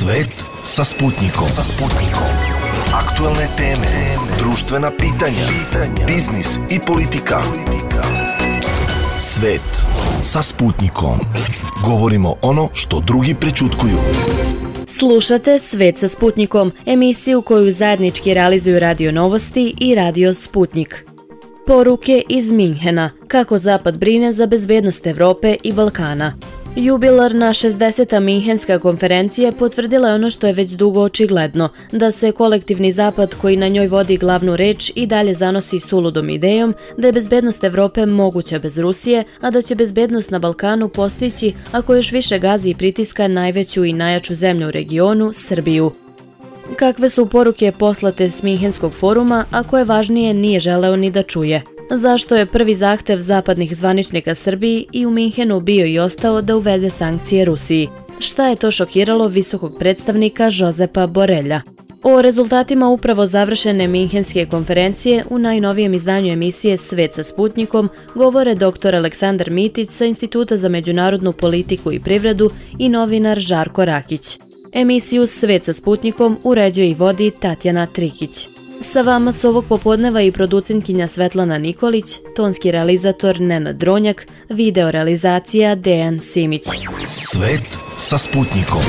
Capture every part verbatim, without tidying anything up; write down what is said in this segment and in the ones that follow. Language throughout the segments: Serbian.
Svet sa Sputnikom. Sa Sputnikom. Aktuelne teme, društvena pitanja, pitanja, biznis i politika. Svet sa Sputnikom. Govorimo ono što drugi prećutkuju. Slušate Svet sa Sputnikom, emisiju koju zajednički realizuju Radio Novosti i Radio Sputnik. Poruke iz Minhena, kako Zapad brine za bezbednost Evrope i Balkana. Jubilarna šezdeseta Minhenska konferencija potvrdila je ono što je već dugo očigledno, da se kolektivni Zapad koji na njoj vodi glavnu reč i dalje zanosi suludom idejom da je bezbednost Evrope moguća bez Rusije, a da će bezbednost na Balkanu postići ako još više gazi i pritiska najveću i najjaču zemlju u regionu, Srbiju. Kakve su poruke poslate s Minhenskog foruma, a koje važnije nije želeo ni da čuje? Zašto je prvi zahtev zapadnih zvaničnika Srbiji i u Minhenu bio i ostao da uvede sankcije Rusiji? Šta je to šokiralo visokog predstavnika Josepa Borelja? O rezultatima upravo završene Minhenske konferencije u najnovijem izdanju emisije Svet sa Sputnikom govore doktor Aleksandar Mitić sa Instituta za međunarodnu politiku i privredu i novinar Žarko Rakić. Emisiju Svet sa Sputnikom uređuje i vodi Tatjana Trikić. Sa vama su ovog popodneva i producentkinja Svetlana Nikolić, tonski realizator Nenad Dronjak, video realizacija Dejan Simić. Svet sa Sputnikom.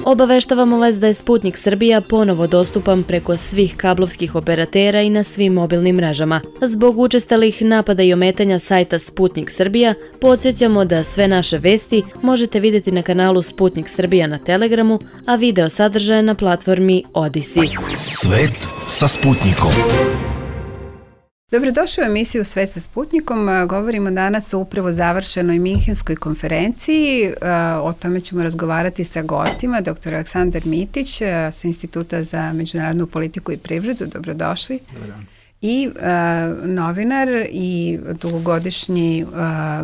Obaveštavamo vas da je Sputnik Srbija ponovo dostupan preko svih kablovskih operatera i na svim mobilnim mrežama. Zbog učestalih napada i ometanja sajta Sputnik Srbija, podsjećamo da sve naše vesti možete vidjeti na kanalu Sputnik Srbija na Telegramu, a video sadržaje na platformi Odisi. Svet sa Sputnikom. Dobrodošli u emisiju Svet sa Sputnikom. Govorimo danas o upravo završenoj Minhenskoj konferenciji. O tome ćemo razgovarati sa gostima. doktor Aleksandar Mitić sa Instituta za međunarodnu politiku i privredu. Dobrodošli. Dobro. I uh, novinar i dugogodišnji uh,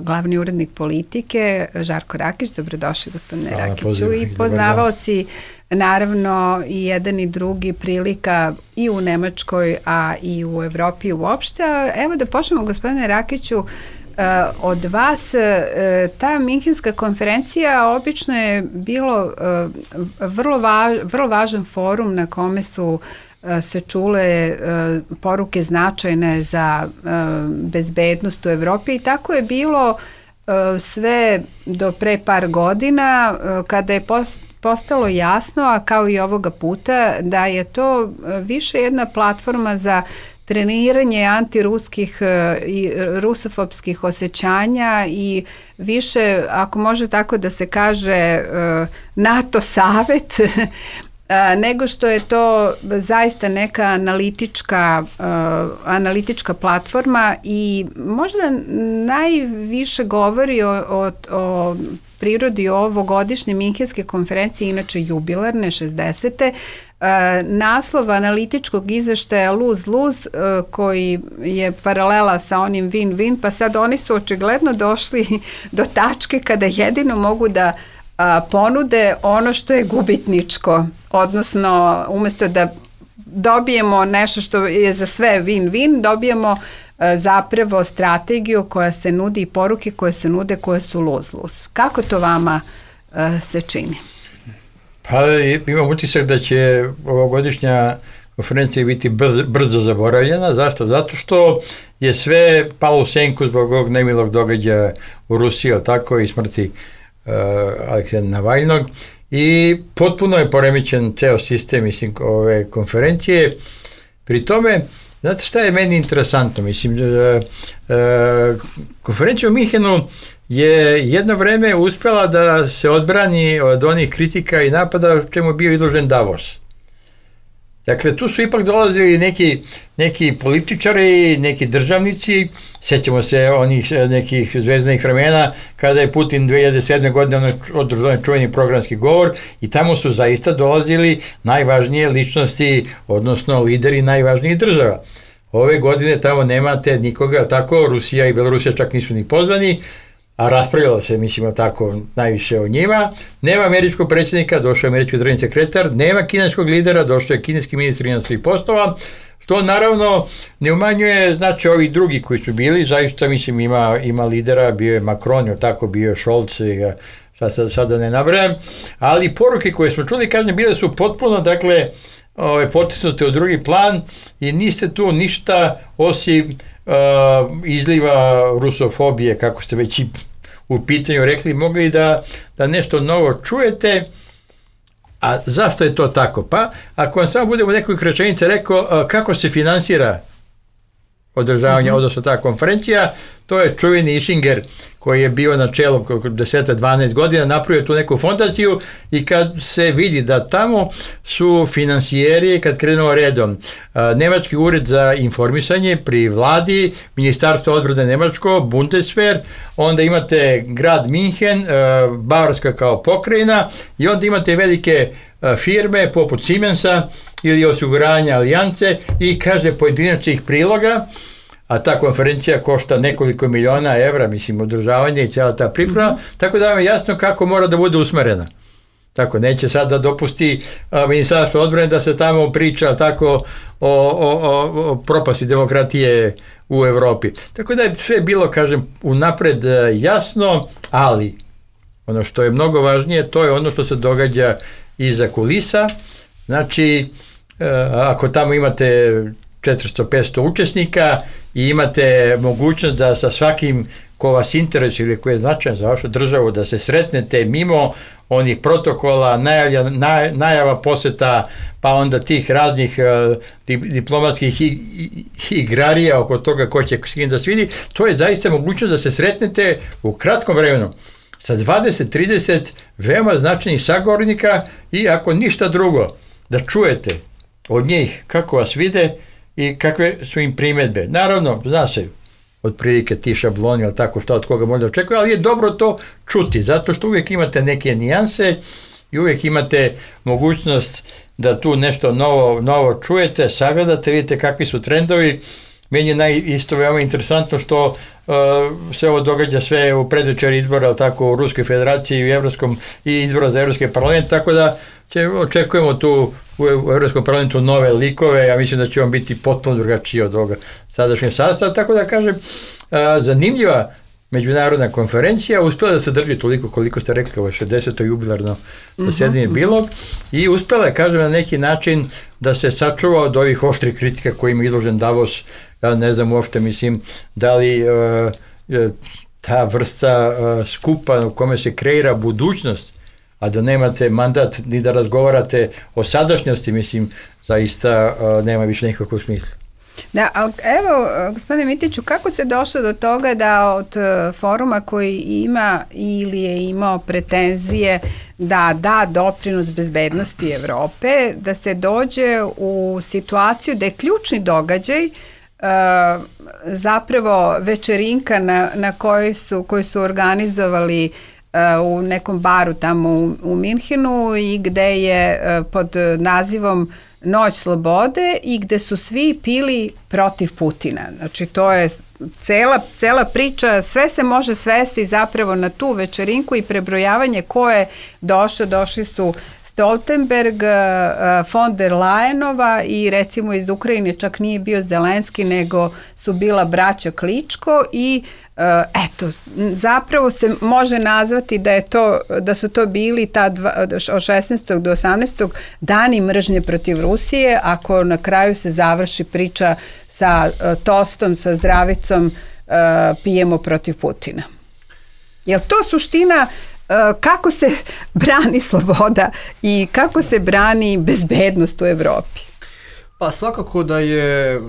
glavni urednik politike Žarko Rakić. Dobrodošli, gospodine Hvala, Rakiću. Poziv, I poznavaoci naravno i jedan i drugi prilika i u Nemačkoj, a i u Evropi uopšte. Evo da počnemo, gospodine Rakiću, uh, od vas. Uh, ta Minhenska konferencija obično je bilo uh, vrlo, važ, vrlo važan forum na kome su se čule uh, poruke značajne za uh, bezbednost u Evropi i tako je bilo uh, sve do pre par godina uh, kada je post, postalo jasno, a kao i ovoga puta, da je to uh, više jedna platforma za treniranje antiruskih uh, i rusofobskih osjećanja i više, ako može tako da se kaže, uh, NATO savet nego što je to zaista neka analitička, uh, analitička platforma i možda najviše govori o, o, o prirodi ovogodišnje Minhenske konferencije, inače jubilarne šezdesete. Uh, naslov analitičkog izveštaja lose-lose uh, koji je paralela sa onim win-win, pa sad oni su očigledno došli do tačke kada jedino mogu da a, ponude ono što je gubitničko, odnosno umjesto da dobijemo nešto što je za sve win-win, dobijemo a, zapravo strategiju koja se nudi i poruke koje se nude koje su lose-lose. Kako to vama a, se čini? Pa imam utisak da će ovogodišnja konferencija biti brzo, brzo zaboravljena. Zašto? Zato što je sve palo u senku zbog ovog nemilog događaja u Rusiji, tako i smrti Uh, Aleksija Navalnog i potpuno je poremećen ceo sistem, mislim, ove konferencije. Pri tome, znate šta je meni interesantno? Mislim, uh, uh, konferencija u Minhenu je jedno vreme uspjela da se odbrani od onih kritika i napada čemu je bio izložen Davos. Dakle, tu su ipak dolazili neki, neki političari, neki državnici, sjećamo se onih nekih zvezdanih vremena kada je Putin dve hiljade sedme. godine održao čuveni programski govor i tamo su zaista dolazili najvažnije ličnosti, odnosno lideri najvažnijih država. Ove godine tamo nemate nikoga, tako Rusija i Belorusija čak nisu ni pozvani, a raspravljalo se, mislimo tako, najviše o njima. Nema američkog predsjednika, došao je američki državni sekretar, nema kineskog lidera, došao je kineski ministar inostranih poslova, što naravno ne umanjuje, znači, ovi drugi koji su bili, zaista, mislim, ima, ima lidera, bio je Macron, tako, bio je Scholz, sad, sad da ne nabrajam, ali poruke koje smo čuli, kažem, bile su potpuno, dakle, ove, potisnute u drugi plan i niste tu ništa osim uh, izliva rusofobije, kako ste već i u pitanju rekli, mogli da, da nešto novo čujete. A zašto je to tako? Pa, ako vam samo budemo nekoliko rečenica rekao uh, kako se finansira održavanje, mm-hmm. odnosno ta konferencija, to je čuveni Ischinger koji je bio na čelu deset do dvanaest godina, napravio tu neku fondaciju i kad se vidi da tamo su finansijeri, kad krenemo redom, Nemački ured za informisanje pri vladi, Ministarstvo odbrane Nemačko, Bundeswehr, onda imate grad Minhen, Bavarska kao pokrajina i onda imate velike firme poput Siemensa ili osiguranja Alijance i kaže pojedinačnih priloga, a ta konferencija košta nekoliko miliona evra, mislim, održavanje i cijela ta priprema, mm-hmm. tako da vam je jasno kako mora da bude usmerena. Tako, neće sad da dopusti a, Ministarstvo odbrane da se tamo priča tako o, o, o, o propasti demokratije u Evropi. Tako da je sve bilo, kažem, unapred jasno, ali ono što je mnogo važnije, to je ono što se događa iza kulisa. Znači, a, ako tamo imate četiristo do petsto učesnika i imate mogućnost da sa svakim ko vas interesuje ili ko je značajan za vašu državu da se sretnete mimo onih protokola, najavlja, naj, najava poseta, pa onda tih raznih uh, diplomatskih igrarija oko toga ko će s kim da se vidi, to je zaista mogućnost da se sretnete u kratkom vremenu sa dvadeset do trideset veoma značajnih sagovornika i ako ništa drugo, da čujete od njih kako vas vide i kakve su im primjedbe. Naravno, zna se otprilike ti šabloni, ali tako šta od koga možda očekuje, ali je dobro to čuti, zato što uvijek imate neke nijanse i uvijek imate mogućnost da tu nešto novo, novo čujete, sagledate, vidite kakvi su trendovi. Meni je naj, isto veoma interesantno što uh, se ovo događa sve u predvečer izbora, ali tako u Ruskoj federaciji i, u Evropskom, i izbora za Evropski parlament, tako da će, očekujemo tu u Evropskom parlamentu nove likove, ja mislim da će on biti potpuno drugačiji od ovoga sadašnjeg sastava, tako da kažem, a, zanimljiva međunarodna konferencija, uspjela da se drži toliko koliko ste rekli, ovo šezdeseto jubilarno zasjedanje mm-hmm. bilo i uspjela je, kažem, na neki način da se sačuva od ovih oštrih kritika kojima je izložen Davos. Ja ne znam uopšte, mislim, da li uh, ta vrsta uh, skupa u kome se kreira budućnost, a da nemate mandat ni da razgovarate o sadašnjosti, mislim, zaista uh, nema više nikakvog smisla. Da, ali evo, gospodine Mitiću, kako se došlo do toga da od foruma koji ima ili je imao pretenzije da da doprinos bezbednosti Evrope, da se dođe u situaciju da je ključni događaj uh, zapravo večerinka na, na kojoj su, koju su organizovali uh, u nekom baru tamo u, u Minhenu i gde je uh, pod nazivom Noć slobode i gde su svi pili protiv Putina. Znači to je cela, cela priča, sve se može svesti zapravo na tu večerinku i prebrojavanje ko je došao. Došli su Stoltenberg, von der Leyenova i recimo iz Ukrajine čak nije bio Zelenski, nego su bila braća Kličko i eto, zapravo se može nazvati da je to, da su to bili ta dva, od šesnaestog do osamnaestog dani mržnje protiv Rusije, ako na kraju se završi priča sa uh, tostom, sa zdravicom, uh, pijemo protiv Putina. Je li to suština uh, kako se brani sloboda i kako se brani bezbednost u Evropi? Pa svakako da je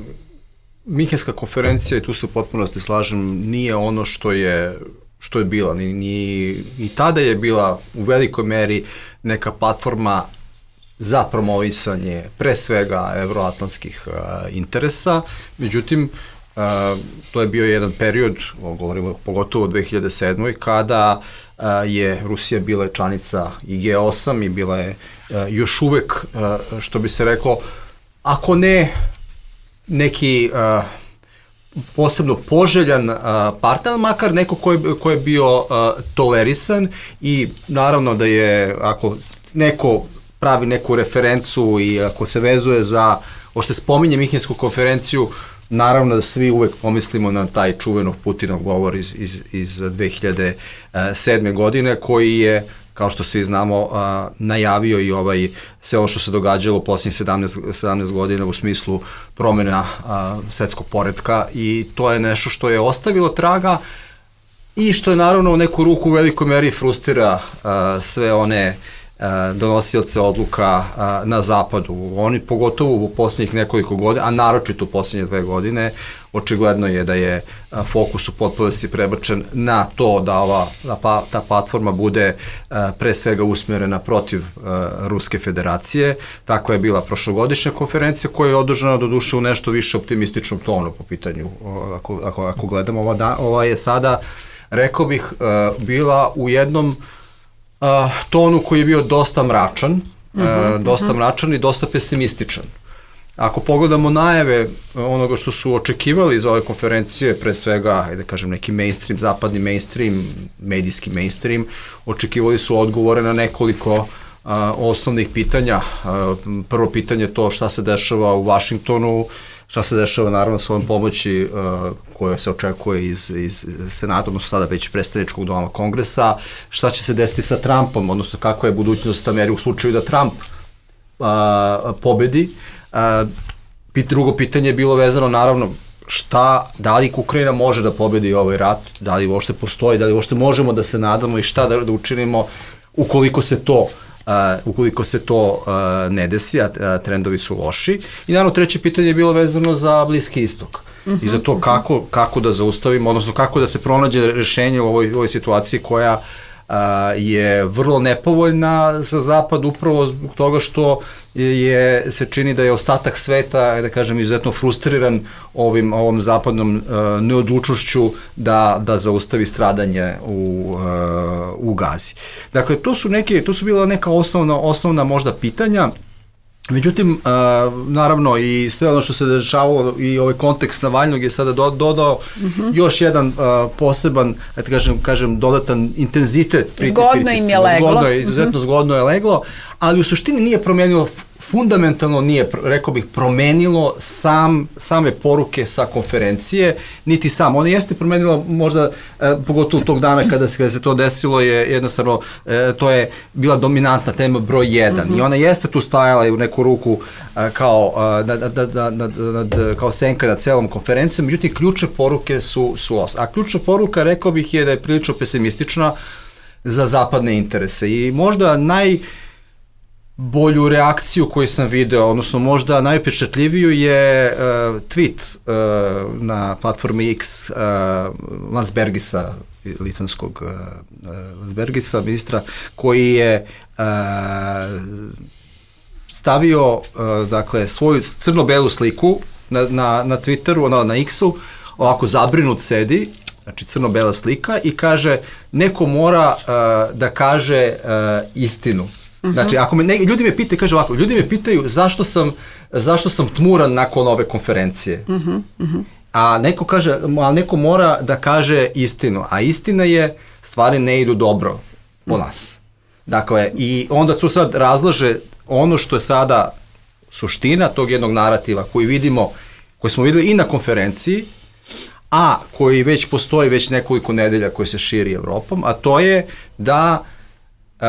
Minhenska konferencija, i tu se u potpunosti slažem, nije ono što je, što je bila. Ni, ni, I tada je bila u velikoj meri neka platforma za promovisanje pre svega evroatlantskih uh, interesa. Međutim, uh, to je bio jedan period, govorimo pogotovo u dve hiljade sedmoj kada uh, je Rusija bila članica i G osam i bila je uh, još uvek, uh, što bi se reklo, ako ne neki uh, posebno poželjan uh, partner, makar neko ko je, ko je bio uh, tolerisan i naravno da je, ako neko pravi neku referencu i ako se vezuje za, ošte spominje Minhensku konferenciju, Naravno da svi uvek pomislimo na taj čuvenov Putinov govor iz, iz, iz dve hiljade sedme. godine, koji je, kao što svi znamo, a, najavio i ovaj, sve ovo što se događalo u posljednjih sedamnaest godina u smislu promjena a, svetskog poretka, i to je nešto što je ostavilo traga i što je naravno u neku ruku u velikoj meri frustrira a, sve one a, donosioce odluka a, na zapadu. Oni pogotovo u posljednjih nekoliko godina, a naročito u posljednje dve godine, očigledno je da je a, fokus u potpunosti prebačen na to da ova da pa, ta platforma bude a, pre svega usmjerena protiv a, Ruske federacije. Tako je bila prošlogodišnja konferencija, koja je održana doduše u nešto više optimističnom tonu po pitanju, ako, ako, ako gledamo ova, da, ova je sada, rekao bih, a, bila u jednom Uh, tonu koji je bio dosta mračan, uh, uh-huh, dosta uh-huh. mračan i dosta pesimističan. Ako pogledamo najave onoga što su očekivali za ove konferencije, pre svega, ajde kažem, neki mainstream, zapadni mainstream, medijski mainstream, očekivali su odgovore na nekoliko uh, osnovnih pitanja. Uh, prvo pitanje je to šta se dešava u Vašingtonu, šta se dešava naravno s ovom pomoći uh, koja se očekuje iz, iz Senata, odnosno sada već predstavničkog doma Kongresa, šta će se desiti sa Trumpom, odnosno kakva je budućnost Amerike u slučaju da Trump uh, pobedi. Uh, pit, drugo pitanje je bilo vezano naravno šta, da li Ukrajina može da pobedi ovaj rat, da li uopšte postoji, da li uopšte možemo da se nadamo i šta da, da učinimo ukoliko se to Uh, ukoliko se to uh, ne desi, a uh, trendovi su loši. I naravno treće pitanje je bilo vezano za Bliski istok. Uh-huh, i za to kako, kako da zaustavimo, odnosno kako da se pronađe rešenje u ovoj, ovoj situaciji koja uh, je vrlo nepovoljna za Zapad, upravo zbog toga što je, se čini da je ostatak sveta, da kažem, izuzetno frustriran ovim, ovom zapadnom uh, neodlučnošću da, da zaustavi stradanje u, uh, u Gazi. Dakle, to su neke, to su bila neka osnovna, osnovna možda pitanja. Međutim, uh, naravno i sve ono što se dešavalo i ovaj kontekst Navalnog je sada do, dodao uh-huh. još jedan uh, poseban, da kažem, kažem, dodatan intenzitet. Zgodno im je leglo. Zgodno je, izuzetno uh-huh. zgodno je leglo, ali u suštini nije promenilo, fundamentalno nije, rekao bih, promenilo sam, same poruke sa konferencije, niti sam. Ono jeste promenilo možda, e, pogotovo tog dana kada se, kada se to desilo, je jednostavno, e, to je bila dominantna tema broj jedan. Mm-hmm. I ona jeste tu stajala i u neku ruku e, kao, e, da, da, da, da, da, kao senka na celom konferencijom, međutim, ključne poruke su, su os. A ključna poruka, rekao bih, je da je prilično pesimistična za zapadne interese. I možda naj bolju reakciju koju sam video, odnosno možda najupečatljiviju je uh, tweet uh, na platformi X uh, Landsbergisa, litvanskog uh, Landsbergisa, ministra, koji je uh, stavio uh, dakle, svoju crno-belu sliku na, na, na Twitteru, na, na X-u, ovako zabrinut sedi, znači crno-bela slika, i kaže neko mora uh, da kaže uh, istinu. Uh-huh. Znači, ako me ne, ljudi me pitaju, kaže ovako, ljudi me pitaju zašto sam, zašto sam tmuran nakon ove konferencije. Uh-huh. Uh-huh. A neko kaže, a neko mora da kaže istinu, a istina je, stvari ne idu dobro po nas. Dakle, i onda tu sad razlaže ono što je sada suština tog jednog narativa koji vidimo, koji smo videli i na konferenciji, a koji već postoji već nekoliko nedelja koji se širi Evropom, a to je da uh,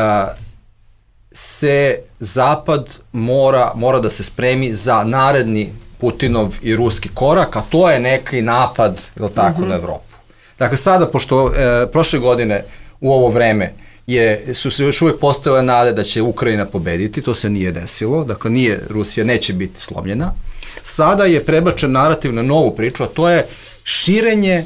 se Zapad mora, mora da se spremi za naredni Putinov i ruski korak, a to je neki napad, je li tako, mm-hmm. na Evropu. Dakle, sada, pošto e, prošle godine u ovo vreme je, su se još uvijek postojale nade da će Ukrajina pobediti, to se nije desilo, dakle, nije, Rusija neće biti slomljena. Sada je prebačen narativ na novu priču, a to je širenje,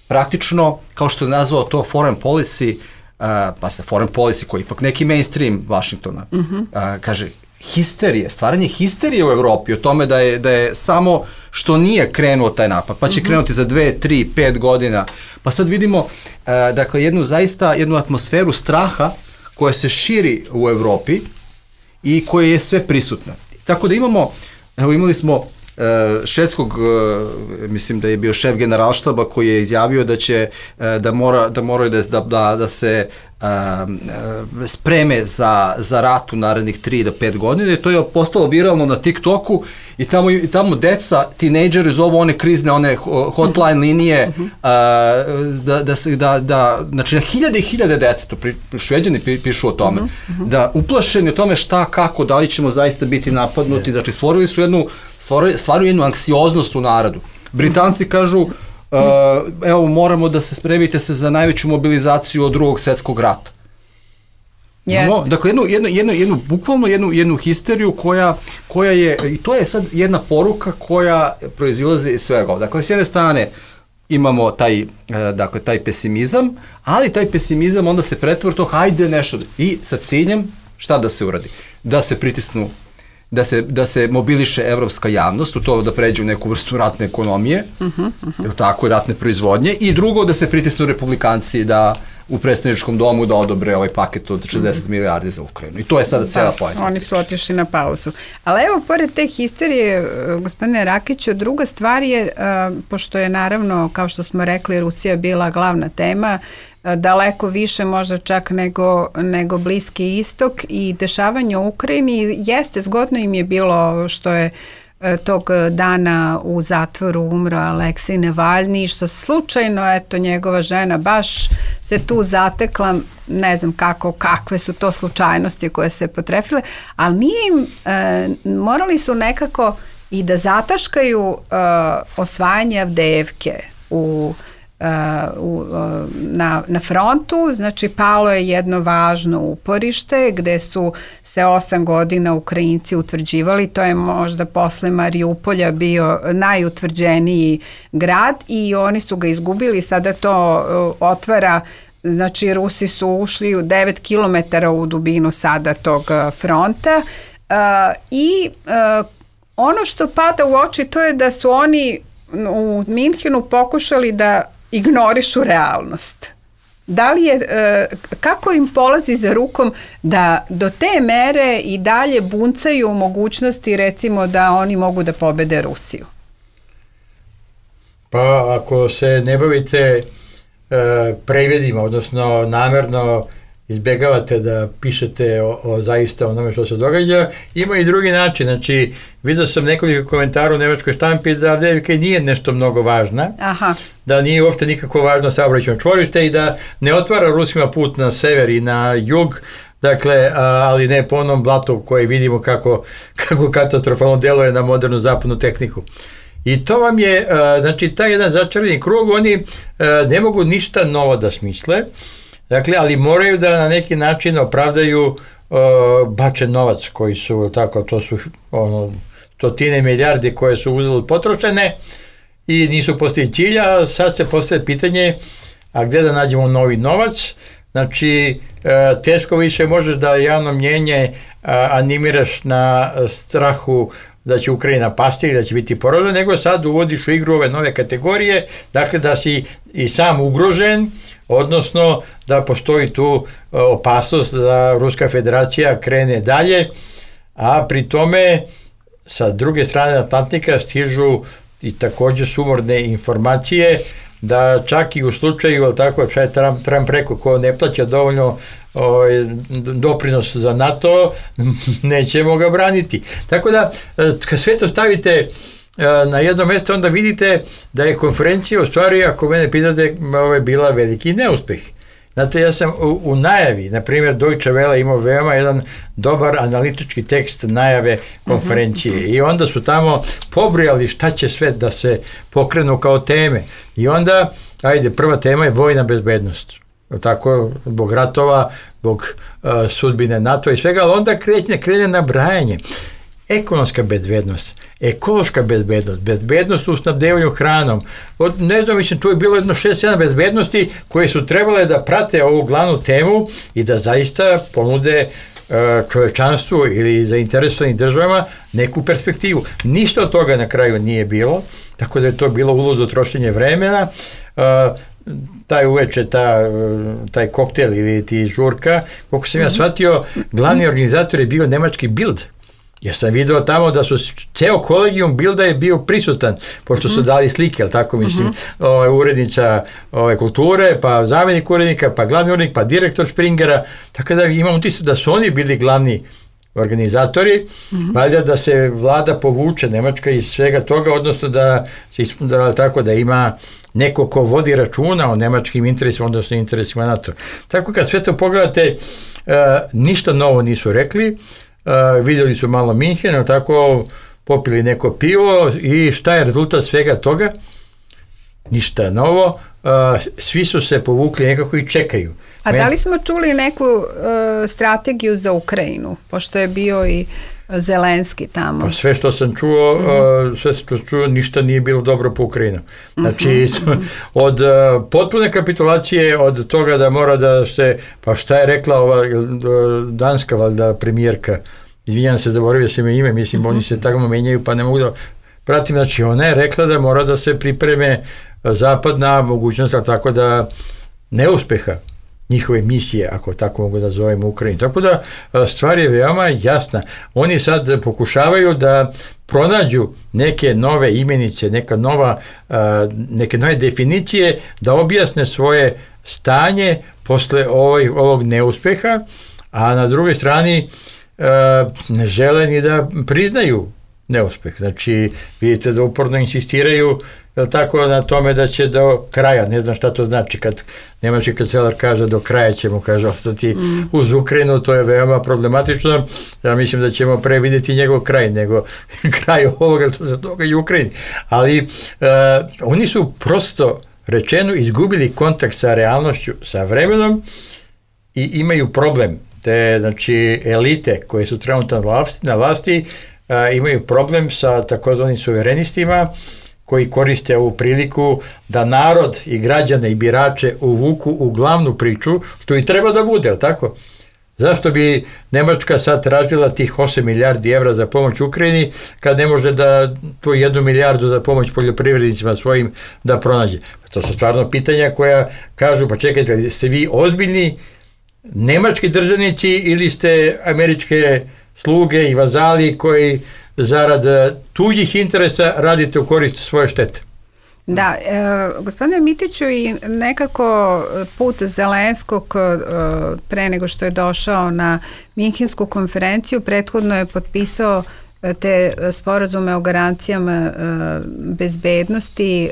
praktično, kao što je nazvao to foreign policy, Uh, pa se foreign policy koji je ipak neki mainstream Vašingtona, uh-huh. uh, kaže histerije, stvaranje histerije u Evropi o tome da je, da je samo što nije krenuo taj napad, pa će uh-huh. krenuti za dve, tri, pet godina. Pa sad vidimo uh, dakle jednu zaista, jednu atmosferu straha koja se širi u Evropi i koja je sve prisutna. Tako da imamo, evo imali smo Uh, švedskog, uh, mislim da je bio šef generalštaba koji je izjavio da će uh, da mora da moraju da, da, da se uh, spreme za, za rat u narednih tri do pet godina i to je postalo viralno na TikToku i tamo, i tamo deca, tinejdžeri zovu one krizne, one hotline linije, uh-huh. uh, da, da, se, da, da, znači na hiljade i hiljade deca, to pri, Šveđani pišu o tome, uh-huh. da uplašeni o tome šta, kako, da li ćemo zaista biti napadnuti, znači stvorili su jednu, stvorili, stvaraju jednu anksioznost u narodu. Britanci kažu, uh, evo moramo da se spremite se za najveću mobilizaciju od drugog svjetskog rata. No, dakle, jednu, jednu, jednu, jednu, bukvalno jednu, jednu histeriju koja, koja je, i to je sad jedna poruka koja proizilazi iz svega. Dakle, s jedne strane imamo taj, dakle, taj pesimizam, ali taj pesimizam onda se pretvori to, hajde nešto, i sa ciljem šta da se uradi? Da se pritisnu, da se, da se mobiliše evropska javnost, u to da pređe u neku vrstu ratne ekonomije, uh-huh, uh-huh. tako, ratne proizvodnje, i drugo da se pritisnu republikanci da u predstavničkom domu da odobre ovaj paket od šezdeset milijardi za Ukrajinu. I to je sada cela pojenta. Oni su otišli na pauzu. Ali evo, pored te histerije, gospodine Rakiću, druga stvar je, pošto je naravno, kao što smo rekli, Rusija bila glavna tema, daleko više možda čak nego, nego Bliski istok i dešavanje u Ukrajini, jeste, zgodno im je bilo što je tog dana u zatvoru umro Aleksej Navalni, što slučajno, eto, njegova žena baš se tu zatekla, ne znam kako, kakve su to slučajnosti koje se potrefile, ali nije im, e, morali su nekako i da zataškaju e, osvajanje Avdejevke u Uh, uh, na, na frontu, znači palo je jedno važno uporište gde su se osam godina Ukrajinci utvrđivali, to je možda posle Mariupolja bio najutvrđeniji grad i oni su ga izgubili, sada to uh, otvara, znači Rusi su ušli u devet kilometara u dubinu sada tog uh, fronta uh, i uh, ono što pada u oči to je da su oni u Minhenu pokušali da ignorišu realnost. Da li je, kako im polazi za rukom da do te mere i dalje buncaju mogućnosti, recimo, da oni mogu da pobede Rusiju? Pa ako se ne bavite e, prevedima, odnosno namerno izbjegavate da pišete o, o zaista onome što se događa, ima i drugi način. Znači, vidio sam nekoliko komentara u nemačkoj štampi da Avdejevka nije nešto mnogo važna, Aha. da nije uopšte nikako važno saobraćajno čvorište i da ne otvara Rusima put na sever i na jug, dakle, a, ali ne po onom blatu koji vidimo kako, kako katastrofalno deluje na modernu zapadnu tehniku. I to vam je, a, znači, taj jedan začarani krug, oni a, ne mogu ništa novo da smisle, dakle, ali moraju da na neki način opravdaju uh, bačen novac koji su, tako, to su ono, stotine milijardi koje su uzeli potrošene i nisu postigli cilja, a sad se postavlja pitanje, a gde da nađemo novi novac? Znači, uh, teško više možeš da javno mnjenje uh, animiraš na strahu da će Ukrajina pasti ili da će biti poražena, nego sad uvodiš u igru ove nove kategorije, dakle da si i sam ugrožen, odnosno da postoji tu opasnost da Ruska federacija krene dalje, a pri tome sa druge strane Atlantika stižu i također sumorne informacije da čak i u slučaju, ali tako, šta je Trump, Trump rekao, ko ne plaća dovoljno o, doprinos za NATO, nećemo ga braniti. Tako da, kad sve to stavite na jedno mjesto, onda vidite da je konferencija u stvari, ako mene pitate, ovo je bila veliki neuspeh. Znate, ja sam u, u najavi, na primjer Deutsche Welle imao veoma jedan dobar analitički tekst najave konferencije uh-huh. i onda su tamo pobrojali šta će sve da se pokrenu kao teme. I onda, ajde, prva tema je vojna bezbednost. Tako, zbog ratova, zbog uh, sudbine NATO i svega, ali onda krene, krene nabrajanje. Ekonomska bezbednost, ekološka bezbednost, bezbednost u snabdevanju hranom. Od, ne znam, mislim, tu je bilo jedno šest sedam bezbednosti koje su trebale da prate ovu glavnu temu i da zaista ponude uh, čovečanstvu ili zainteresovanim državama neku perspektivu. Ništa od toga na kraju nije bilo, tako da je to bilo uludo trošenje vremena. Uh, taj uveče, ta, taj koktel ili ti žurka, koliko sam ja shvatio, glavni organizator je bio nemački Bild. Jer sam video tamo da su ceo kolegijum Bilda je bio prisutan, pošto su dali slike, ali tako mislim, mm-hmm. ovaj, urednica ovaj, kulture, pa zamjenik urednika, pa glavni urednik, pa direktor Springera, tako da imam utisak da su oni bili glavni organizatori, mm-hmm. valjda da se vlada povuče Nemačka iz svega toga, odnosno da se ispunila tako da ima neko ko vodi računa o nemačkim interesima, odnosno interesima NATO. Tako kad sve to pogledate, uh, ništa novo nisu rekli, uh, vidjeli su malo Minhen, tako popili neko pivo i šta je rezultat svega toga? Ništa novo, uh, svi su se povukli nekako i čekaju. A da li smo čuli neku uh, strategiju za Ukrajinu, pošto je bio i Zelenski tamo? Pa sve što sam čuo, mm-hmm. uh, sve što sam čuo, ništa nije bilo dobro po Ukrajinu. Znači, mm-hmm. od uh, potpune kapitulacije, od toga da mora da se, pa šta je rekla ova danska valjda premijerka, izvinjam se, zaboravio sam ime, mislim, mm-hmm. oni se tako menjaju, pa ne mogu da pratim, znači ona je rekla da mora da se pripreme zapad na mogućnost, tako da neuspeha njihove misije, ako tako mogu da zovemo Ukrajinu. Tako da stvar je veoma jasna. Oni sad pokušavaju da pronađu neke nove imenice, neka nova, neke nove definicije, da objasne svoje stanje posle ovog, ovog neuspeha, a na drugoj strani ne žele ni da priznaju neuspeh. Znači, vidite da uporno insistiraju jel tako, na tome da će do kraja, ne znam šta to znači kad nemački kancelar kaže do kraja ćemo, kaže, ostati mm. uz Ukrajinu, to je veoma problematično. Ja mislim da ćemo pre vidjeti njegov kraj nego kraj ovoga što se događa u Ukrajini. Ali uh, oni su prosto rečeno izgubili kontakt sa realnošću, sa vremenom i imaju problem. Te, znači, elite koje su trenutno na vlasti, na vlasti uh, imaju problem sa takozvanim suverenistima koji koriste ovu priliku da narod i građane i birače uvuku u glavnu priču, što i treba da bude, je li tako? Zašto bi Nemačka sad tražila tih osam milijardi evra za pomoć Ukrajini, kad ne može da tu jednu milijardu za pomoć poljoprivrednicima svojim da pronađe? To su stvarno pitanja koja kažu, pa čekajte, ste vi ozbiljni nemački državnici ili ste američke sluge i vazali koji zarad tuđih interesa radite u korist svoje štete? Da, e, gospodine Mitiću, i nekako put Zelenskog e, pre nego što je došao na Minhensku konferenciju, prethodno je potpisao te sporazume o garancijama e, bezbednosti e,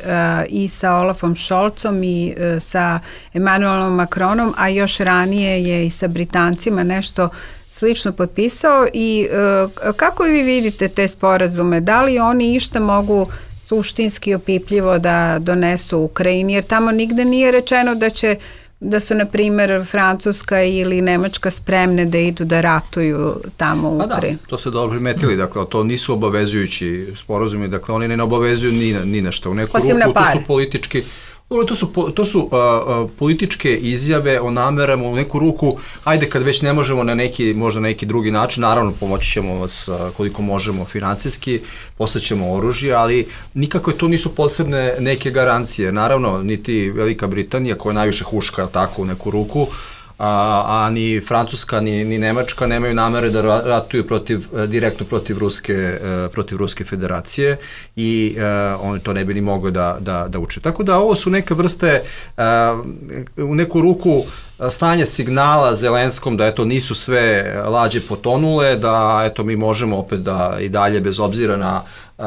i sa Olafom Scholzom i e, sa Emmanuelom Macronom, a još ranije je i sa Britancima nešto slično potpisao. I e, kako vi vidite te sporazume? Da li oni išta mogu suštinski opipljivo da donesu Ukrajini, jer tamo nigde nije rečeno da će da su, na primjer, Francuska ili Nemačka spremne da idu da ratuju tamo u Ukrajini. Da, to se dobro primetili, dakle, to nisu obavezujući sporazumi, dakle, oni ne obavezuju ni na, ni na što. U neku Osim ruku, na pare. To su politički To su, to su uh, uh, političke izjave o namerama, u neku ruku, ajde kad već ne možemo na neki, možda na neki drugi način, naravno pomoći ćemo vas uh, koliko možemo financijski, poslaćemo oružje, ali nikako to nisu posebne neke garancije. Naravno, niti Velika Britanija, koja najviše huška tako u neku ruku, a, a ni Francuska, ni, ni Nemačka nemaju namere da ratuju protiv, direktno protiv Ruske, protiv Ruske federacije i uh, oni to ne bi ni mogli da, da, da uče. Tako da ovo su neke vrste, uh, u neku ruku, stanje signala Zelenskom da eto nisu sve lađe potonule, da eto mi možemo opet da i dalje bez obzira na uh,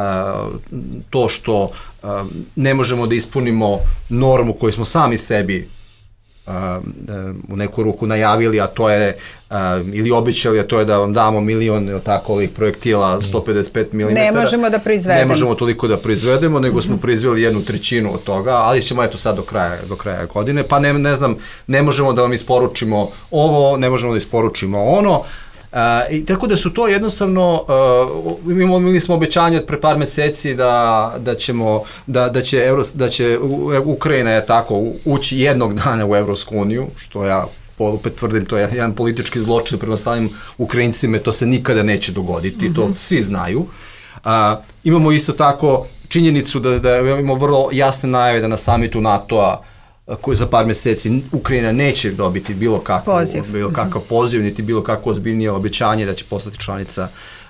to što uh, ne možemo da ispunimo normu koju smo sami sebi Uh, uh, u neku ruku najavili, a to je uh, ili obećali, a to je da vam damo milion ili tako ovih projektila sto pedeset pet milimetara. Ne možemo da proizvedemo. Ne možemo toliko da proizvedemo, nego smo proizveli jednu trećinu od toga, ali ćemo eto sad do kraja, do kraja godine, pa ne, ne znam, ne možemo da vam isporučimo ovo, ne možemo da isporučimo ono. Uh, i tako da su to jednostavno, uh, imali smo obećanje od pre par meseci da, da ćemo, da, da će, Euro, da će Ukrajina je tako ući jednog dana u Evropsku uniju, što ja opet tvrdim, to je jedan politički zločin prema samim Ukrajincima, to se nikada neće dogoditi, mm-hmm. to svi znaju. Uh, imamo isto tako činjenicu da, da imamo vrlo jasne najave da na samitu NATO-a koji za par meseci Ukrajina neće dobiti bilo kakav poziv, bilo kakav poziv niti bilo kakvo ozbiljnije obećanje da će postati članica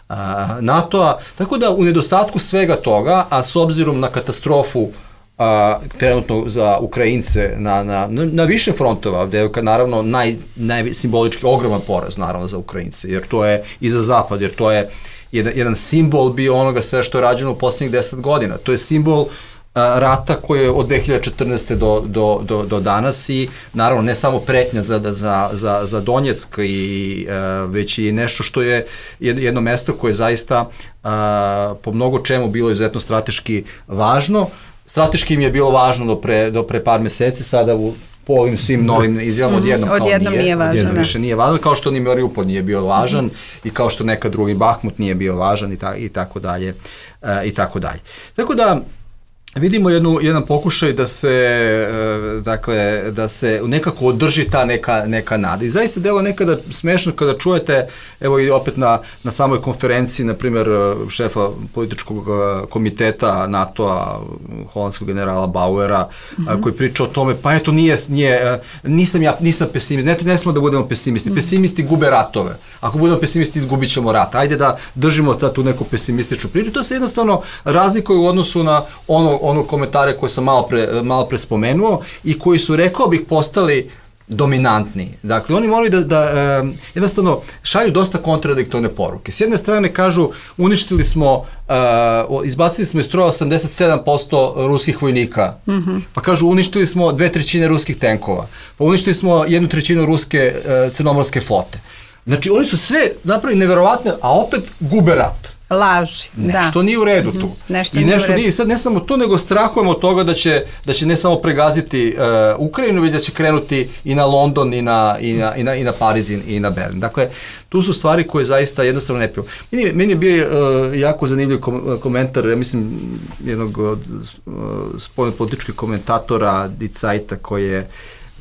a, NATO-a. Tako da u nedostatku svega toga, a s obzirom na katastrofu a, trenutno za Ukrajince na, na, na više frontova, gde je naravno naj, najsimbolički ogroman poraz naravno za Ukrajince, jer to je i za Zapad, jer to je jedan, jedan simbol bio onoga sve što je rađeno u posljednjih deset godina. To je simbol rata koji je od dve hiljade četrnaeste do, do, do, do danas i naravno ne samo pretnja za, za, za, za Donjeck i uh, već i nešto što je jedno mesto koje je zaista uh, po mnogo čemu bilo izuzetno strateški važno. Strateški im je bilo važno do pre, do pre par meseci, sada u po ovim svim novim izjavama odjednom kao odjednom nije, nije važno, odjednom da. više nije važno, kao što ni Mariupol nije bio važan i kao što nekad drugi Bahmut nije bio važan i, ta, i tako dalje uh, i tako dalje. Tako da vidimo jednu, jedan pokušaj da se, e, dakle, da se nekako održi ta neka, neka nada. I zaista delo nekada smešno kada čujete, evo i opet na, na samoj konferenciji, na primjer, šefa političkog komiteta NATO-a, holandskog generala Bauera, mm-hmm. a, koji priča o tome, pa eto, nije, nije, nisam ja, nisam pesimist, ne, ne smo da budemo pesimisti, mm-hmm. pesimisti gube ratove. Ako budemo pesimisti, izgubit ćemo rat. Ajde da držimo ta, tu neku pesimističnu priču. To se jednostavno razlikuje u odnosu na ono ono komentare koje sam malo pre, malo pre spomenuo i koji su, rekao bih, postali dominantni. Dakle, oni moraju da, da e, jednostavno šalju dosta kontradiktorne poruke. S jedne strane kažu, uništili smo, e, izbacili smo iz stroja osamdeset sedam posto ruskih vojnika, mm-hmm. pa kažu, uništili smo dve trećine ruskih tenkova, pa uništili smo jednu trećinu ruske e, crnomorske flote. Znači, oni su sve napravili neverovatne, a opet gube rat. Laži, da. Nešto nije u redu tu. Mm-hmm. Nešto I nešto nije, nije, sad ne samo to, nego strahujemo od toga da će, da će ne samo pregaziti uh, Ukrajinu, već da će krenuti i na London, i na, i na, i na, i na Pariz, i na Berlin. Dakle, tu su stvari koje zaista jednostavno ne piju. Meni, meni je bio uh, jako zanimljiv kom, komentar, ja mislim, jednog od uh, spoljnopolitičkih komentatora Die Zeita koji je,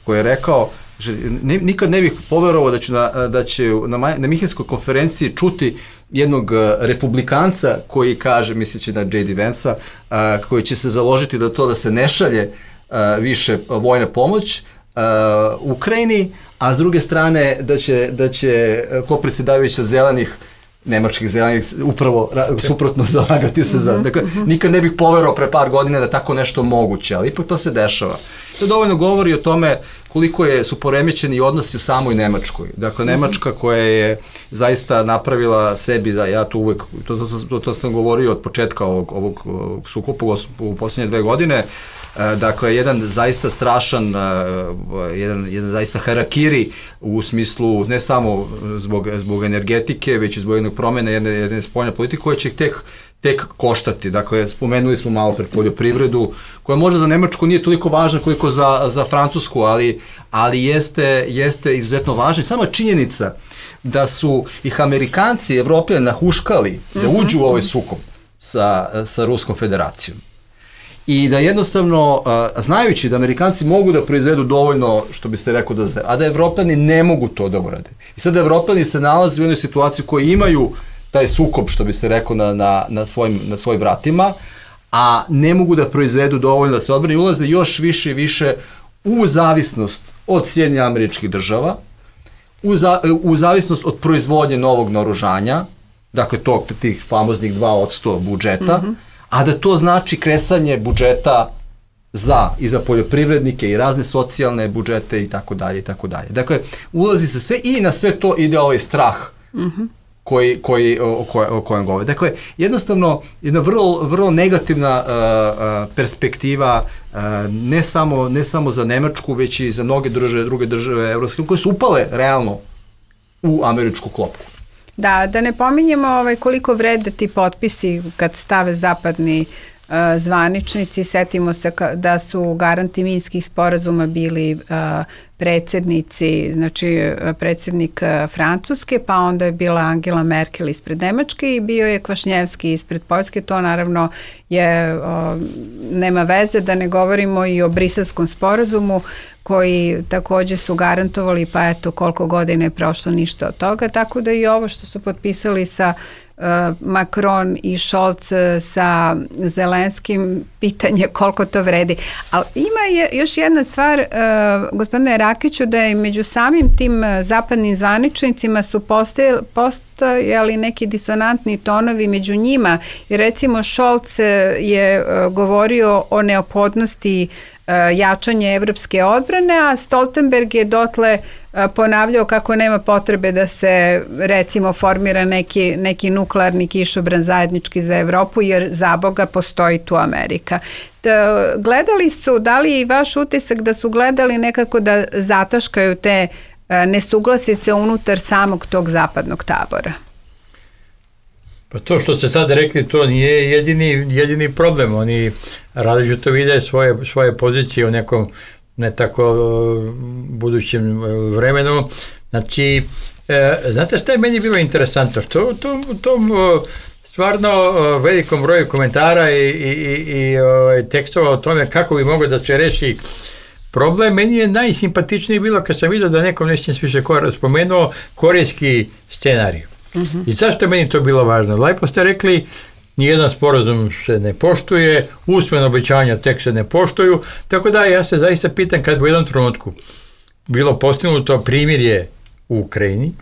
koji je rekao, že ne, nikad ne bih poverovao da će na, da će na, na Minhenskoj konferenciji čuti jednog republikanca koji kaže, misleći na J D Vance-a, a, koji će se založiti da to da se ne šalje a, više vojna pomoć a, Ukrajini, a s druge strane da će, da će ko predsjedavajuća zelenih nemačkih zelenih upravo suprotno zalagati se za. Dakle, nikad ne bih poverovao pre par godina da tako nešto moguće, ali ipak to se dešava. To dovoljno govori o tome koliko je, su poremećeni odnosi u samoj Nemačkoj. Dakle, Nemačka koja je zaista napravila sebi, za, ja to uvek, to, to, to, to sam govorio od početka ovog, ovog sukopa u posljednje dve godine, dakle, jedan zaista strašan, jedan, jedan zaista harakiri u smislu ne samo zbog, zbog energetike, već i zbog jednog promjene jedne, jedne spoljne politike koja će tek tek koštati. Dakle, spomenuli smo malo pred poljoprivredu, koja možda za Nemačku nije toliko važna koliko za, za Francusku, ali, ali jeste, jeste izuzetno važna. Sama činjenica da su ih Amerikanci i Evropljani nahuškali da uđu u ovaj sukob sa, sa Ruskom federacijom. I da jednostavno, a, znajući da Amerikanci mogu da proizvedu dovoljno, što bi se rekao, da, a da Evropljani ne mogu to da urade. I sad Evropljani se nalaze u jednoj situaciji koji imaju taj sukob, što bi se rekao, na, na, na, svojim, na svojim vratima, a ne mogu da proizvedu dovoljno da se odbrane i ulaze još više i više u zavisnost od Sjedinjenih Američkih Država, u, za, u zavisnost od proizvodnje novog naoružanja, dakle tog, tih famoznih dva posto budžeta, mm-hmm. a da to znači kresanje budžeta za i za poljoprivrednike i razne socijalne budžete i tako dalje i tako dalje. Dakle, ulazi se sve i na sve to ide ovaj strah mm-hmm. koji, koji, o, koj, o kojem govore. Dakle, jednostavno, jedna vrlo, vrlo negativna uh, uh, perspektiva uh, ne, samo, ne samo za Nemačku, već i za mnoge države, druge države evropske, koje su upale realno u američku klopku. Da, da ne pominjemo ovaj, koliko vrede ti potpisi kad stave zapadni uh, zvaničnici. Setimo se ka, da su garanti minskih sporazuma bili uh, predsjednici, znači predsjednik Francuske, pa onda je bila Angela Merkel ispred Nemačke i bio je Kvašnjevski ispred Poljske. To naravno je, o, nema veze, da ne govorimo i o Briselskom sporazumu koji takođe su garantovali, pa eto koliko godina je prošlo, ništa od toga, tako da i ovo što su potpisali sa uh, Macron i Scholz sa Zelenskim, pitanje koliko to vredi. Ali ima je još jedna stvar, uh, gospodine Rakiću, da je među samim tim zapadnim zvaničnicima su postojali, postojali neki disonantni tonovi među njima, jer recimo Scholz je uh, govorio o neophodnosti jačanje evropske odbrane, a Stoltenberg je dotle ponavljao kako nema potrebe da se recimo formira neki, neki nuklearni kišobran zajednički za Evropu, jer za Boga postoji tu Amerika. Gledali su, da li i vaš utisak da su gledali nekako da zataškaju te nesuglasice unutar samog tog zapadnog tabora? Pa to što ste sad rekli, to nije jedini, jedini problem. Oni različito vide svoje, svoje pozicije u nekom ne tako budućem vremenu. Znači, e, znate šta je meni bilo interesantno? Što u tom, tom stvarno velikom broju komentara i, i, i, i tekstova o tome kako bi moglo da se reši problem, meni je najsimpatičnije bilo kad sam vidio da nekom nešto više spomenuo korejski scenarij. Uh-huh. I zašto je meni to bilo važno? Lepo ste rekli, nijedan sporazum se ne poštuje, usmeno obećanja tek se ne poštuju, tako da ja se zaista pitam kad u jednom trenutku bilo postignuto primirje u Ukrajini,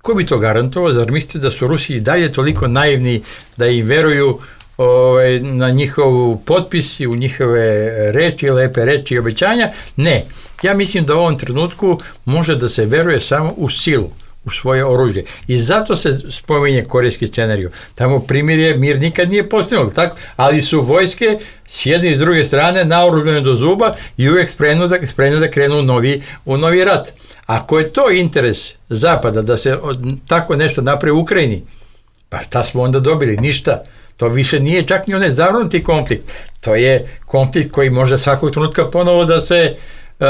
ko bi to garantovao? Zar mislite da su Rusi i dalje toliko naivni da im veruju ovaj, na njihov potpis i u njihove reči, lepe reči i obećanja? Ne. Ja mislim da u ovom trenutku može da se veruje samo u silu, u svoje oružje. I zato se spominje korejski scenarij. Tamo primirje, mir nikad nije postignut, tako? Ali su vojske s jedne i s druge strane naoružane do zuba i uvijek spremno da, spremno da krenu u novi, u novi rat. Ako je to interes Zapada da se tako nešto napravi u Ukrajini, pa šta smo onda dobili? Ništa. To više nije čak ni onaj zavrnuti konflikt. To je konflikt koji može svakog trenutka ponovo da se Uh,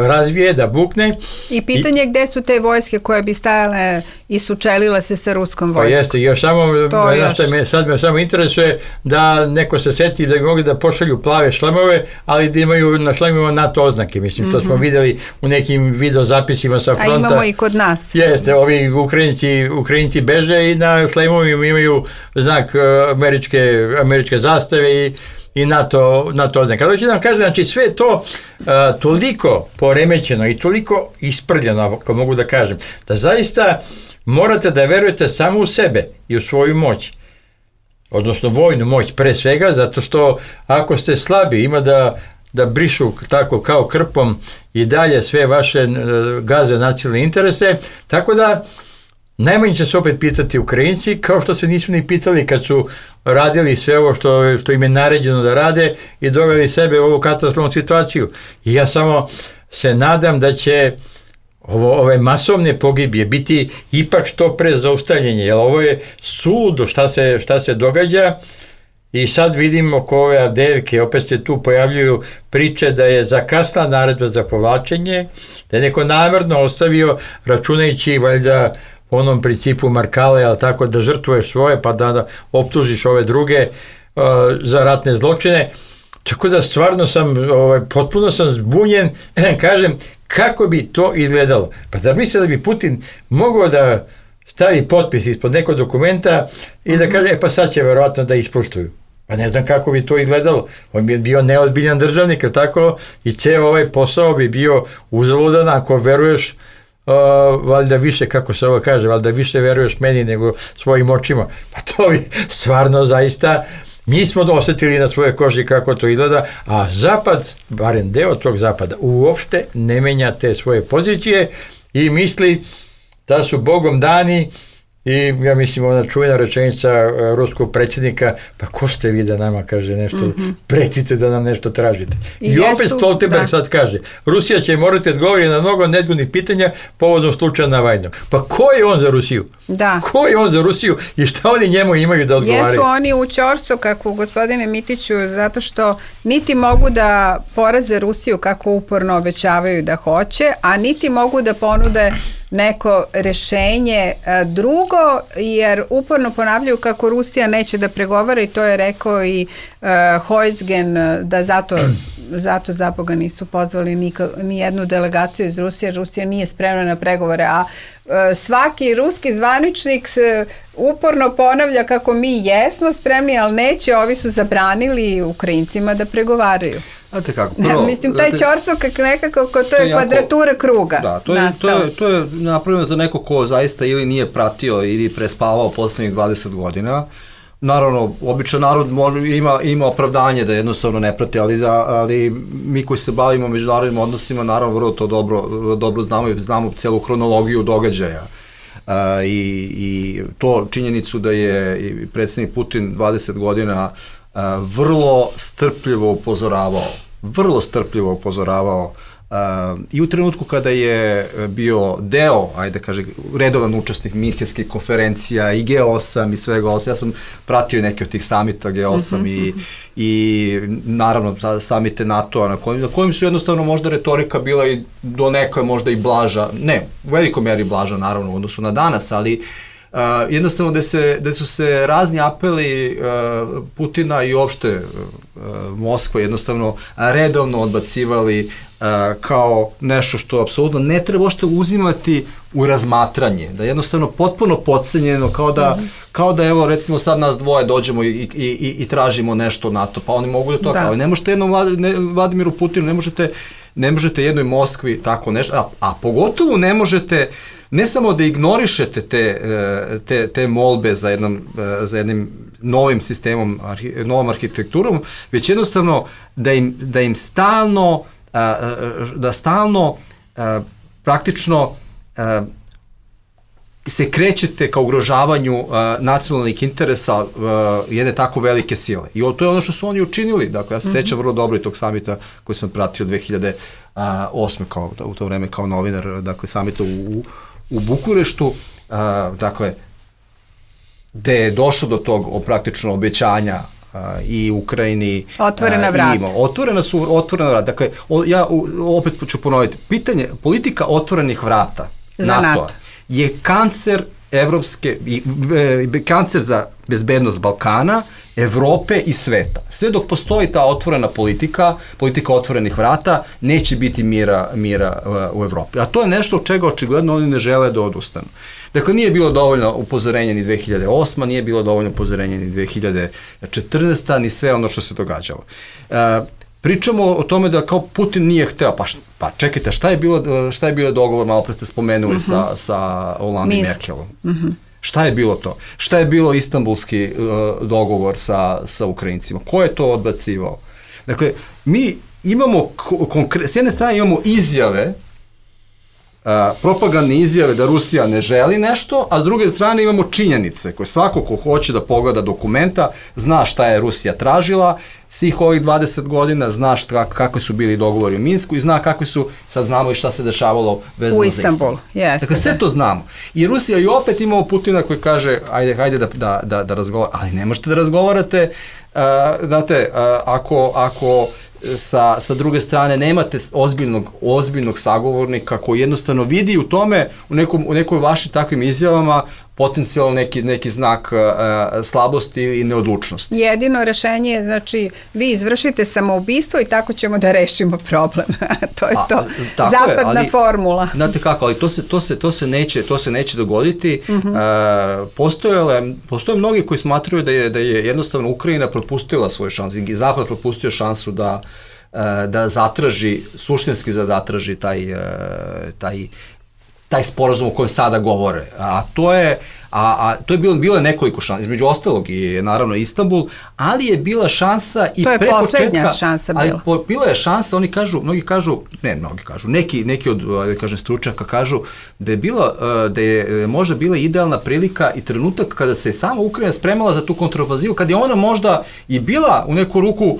razvije, da bukne. I pitanje I, gde su te vojske koje bi stajale i sučelile se sa ruskom vojskom. Pa jeste, još samo, još. Me, sad me samo interesuje da neko se seti da bi mogli da pošalju plave šlemove, ali da imaju na šlemovima NATO oznake, mislim, što mm-hmm. smo videli u nekim video zapisima sa fronta. A imamo i kod nas. Jeste, ovi Ukrajinci, Ukrajinci beže i na šlemovima imaju znak američke, američke zastave i i NATO, NATO oznake. Ali ću da vam kažem, znači sve to uh, toliko poremećeno i toliko isprljeno, ako mogu da kažem, da zaista morate da verujete samo u sebe i u svoju moć. Odnosno vojnu moć pre svega, zato što ako ste slabi, ima da, da brišu tako kao krpom i dalje sve vaše uh, gaze nacionalne interese, tako da najmanje će se opet pitati Ukrajinci, kao što se nisu ni pitali kad su radili sve ovo što, što im je naređeno da rade i doveli sebe u ovu katastrofalnu situaciju. I ja samo se nadam da će ovo, ove masovne pogibije biti ipak što pre zaustavljenje, jer ovo je suludo šta se, šta se događa. I sad vidimo oko ove Avdijevke, opet se tu pojavljuju priče da je zakasnila naredba za povlačenje, da je neko namjerno ostavio, računajući valjda onom principu Markale, ali tako da žrtvuješ svoje pa da, da optužiš ove druge uh, za ratne zločine. Tako da stvarno sam, ovaj, potpuno sam zbunjen, kažem, kako bi to izgledalo. Pa zar misle da bi Putin mogao da stavi potpis ispod nekog dokumenta i da kaže, e pa sad će verovatno da ispoštuju. Pa ne znam kako bi to izgledalo. On bi bio neozbiljan državnik, tako, i ceo ovaj posao bi bio uzaludan ako veruješ Uh, valjda više, kako se ovo kaže, valjda više veruješ meni nego svojim očima. Pa to bi stvarno zaista, mi smo osjetili na svoje koži kako to izgleda, a Zapad, barem deo tog Zapada, uopšte ne menja te svoje pozicije i misli da su Bogom dani I ja mislim ona čuvena rečenica uh, ruskog predsjednika, pa ko ste vi da nama kaže nešto, mm-hmm. pretite da nam nešto tražite. I, I opet Stoltenberg sad kaže, Rusija će morati odgovoriti na mnogo nezgodnih pitanja povodom slučaja Navajnog. Pa ko je on za Rusiju? Da. Ko je on za Rusiju i šta oni njemu imaju da odgovaraju? Jesu oni u ćorcu, kako gospodine Mitiću, zato što niti mogu da poraze Rusiju kako uporno obećavaju da hoće, a niti mogu da ponude neko rešenje drugo, jer uporno ponavljaju kako Rusija neće da pregovara i to je rekao i uh, Heusgen, da zato, zato za Boga nisu pozvali nika, ni jednu delegaciju iz Rusije, jer Rusija nije spremna na pregovore, a uh, svaki ruski zvaničnik se uporno ponavlja kako mi jesmo spremni, ali neće, ovi su zabranili Ukrajincima da pregovaraju. Znate kako, prvo, ja, mislim, taj ćorsok nekako, ko to je jako, kvadratura kruga. Da, to je, to, je, to je napravljeno za neko ko zaista ili nije pratio ili prespavao poslednjih dvadeset godina. Naravno, običan narod može, ima, ima opravdanje da jednostavno ne prati, ali, za, ali mi koji se bavimo međunarodnim odnosima, naravno vrlo to dobro, dobro znamo i znamo celu hronologiju događaja. Uh, i, i to činjenicu da je i predsjednik Putin dvadeset godina uh, vrlo strpljivo upozoravao, vrlo strpljivo upozoravao uh, i u trenutku kada je bio deo, ajde kaže, redovan učesnik minhenskih konferencija i G osam i svega osam, ja sam pratio neke od tih samita G osam i, i naravno samite NATO-a na kojim, na kojim su jednostavno možda retorika bila i do neka možda i blaža, ne, u velikoj meri blaža naravno u odnosu na danas, ali Uh, jednostavno da, se, da su se razni apeli uh, Putina i uopšte uh, Moskva jednostavno redovno odbacivali uh, kao nešto što apsolutno ne treba ošte uzimati u razmatranje, da je jednostavno potpuno podcenjeno, kao da, mm-hmm. kao da evo recimo sad nas dvoje dođemo i, i, i, i tražimo nešto od NATO, pa oni mogu da to, da. Ali ne možete jednom Vlad, ne, Vladimiru Putinu, ne možete, ne možete jednoj Moskvi tako nešto, a, a pogotovo ne možete ne samo da ignorišete te, te, te molbe za, jednom, za jednim novim sistemom, novom arhitekturom, već jednostavno da im, da im stalno, da stalno praktično se krećete ka ugrožavanju nacionalnih interesa jedne tako velike sile. I to je ono što su oni učinili. Dakle, ja se sećam vrlo dobro i tog samita koji sam pratio dve hiljade osme kao, u to vreme kao novinar, dakle, samita u u Bukureštu, uh, dakle, gde je došlo do tog praktično obećanja uh, i Ukrajini. Otvorena uh, vrata. Ima. Otvorena su, otvorena vrata. Dakle, o, ja u, opet ću ponoviti, pitanje, politika otvorenih vrata NATO-a NATO. Je kancer evropske, e, kancer za bezbednost Balkana, Evrope i sveta. Sve dok postoji ta otvorena politika, politika otvorenih vrata, neće biti mira, mira u Evropi. A to je nešto od čega očigledno oni ne žele da odustanu. Dakle, nije bilo dovoljno upozorenja ni dve hiljade osme, nije bilo dovoljno upozorenja ni dve hiljade četrnaeste, ni sve ono što se događalo. E, Pričamo o tome da kao Putin nije hteo, pa, pa čekajte, šta je bilo, šta je bilo dogovor, malo pre ste spomenuli, uh-huh. sa, sa Hollande i Merkelom. Uh-huh. Šta je bilo to? Šta je bilo istambulski uh, dogovor sa, sa Ukrajincima? Ko je to odbacivao? Dakle, mi imamo, konkre- s jedne strane imamo izjave, Uh, propagandne izjave da Rusija ne želi nešto, a s druge strane imamo činjenice koje svako ko hoće da pogleda dokumenta zna šta je Rusija tražila svih ovih dvadeset godina, zna šta, kakvi su bili dogovori u Minsku i zna kakvi su, sad znamo i šta se dešavalo vezano za Istanbul. Yes, dakle, sve to znamo. I Rusija i opet imamo Putina koji kaže ajde, ajde da, da, da, da razgovarate, ali ne možete da razgovarate, uh, znate, uh, ako, ako Sa, sa druge strane nemate ozbiljnog, ozbiljnog sagovornika koji jednostavno vidi u tome, u, nekom, u nekoj vašim takvim izjavama potencijalno neki, neki znak uh, slabosti i neodlučnosti. Jedino rešenje je, znači, vi izvršite samoubistvo i tako ćemo da rešimo problem. To je to. A, zapadna je, ali, formula. Znate kako, ali to se, to se, to se, neće, to se neće dogoditi. Uh-huh. uh, postoje, postoje mnogi koji smatraju da je, da je jednostavno Ukrajina propustila svoju šansu i Zapad propustio šansu da, uh, da zatraži, suštinski da zatraži taj, uh, taj taj sporazum o kojem sada govore. A to je, a, a to je bilo, bilo je nekoliko šansa, između ostalog i naravno Istanbul, ali je bila šansa i pre početka... To je poslednja šansa bila. Ali po, bila je šansa, oni kažu, mnogi kažu, ne, mnogi kažu, neki, neki od, da kažem, stručnjaka kažu da je bila, da je možda bila idealna prilika i trenutak kada se sama Ukrajina spremala za tu kontrofazivu, kada je ona možda i bila u neku ruku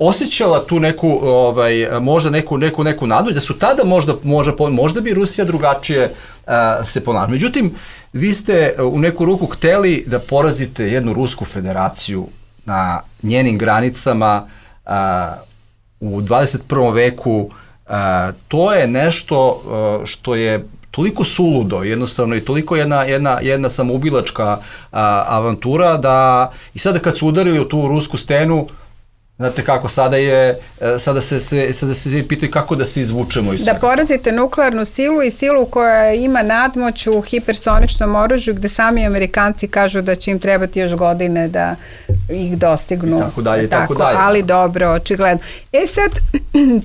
osjećala tu neku, ovaj, možda neku, neku, neku nadu, da su tada možda, možda, možda bi Rusija drugačije uh, se ponašala. Međutim, vi ste u neku ruku hteli da porazite jednu Rusku federaciju na njenim granicama uh, u dvadeset prvom veku. Uh, to je nešto uh, što je toliko suludo, jednostavno i toliko jedna, jedna, jedna samoubilačka uh, avantura da i sada kad su udarili u tu rusku stenu, znate kako, sada je, sada se, se, sada se svi pitaju kako da se izvučemo iz svega. Da porazite nuklearnu silu i silu koja ima nadmoć u hipersoničnom oružju gde sami Amerikanci kažu da će im trebati još godine da ih dostignu. I tako dalje, i tako, tako dalje. Ali dobro, očigledno. E sad,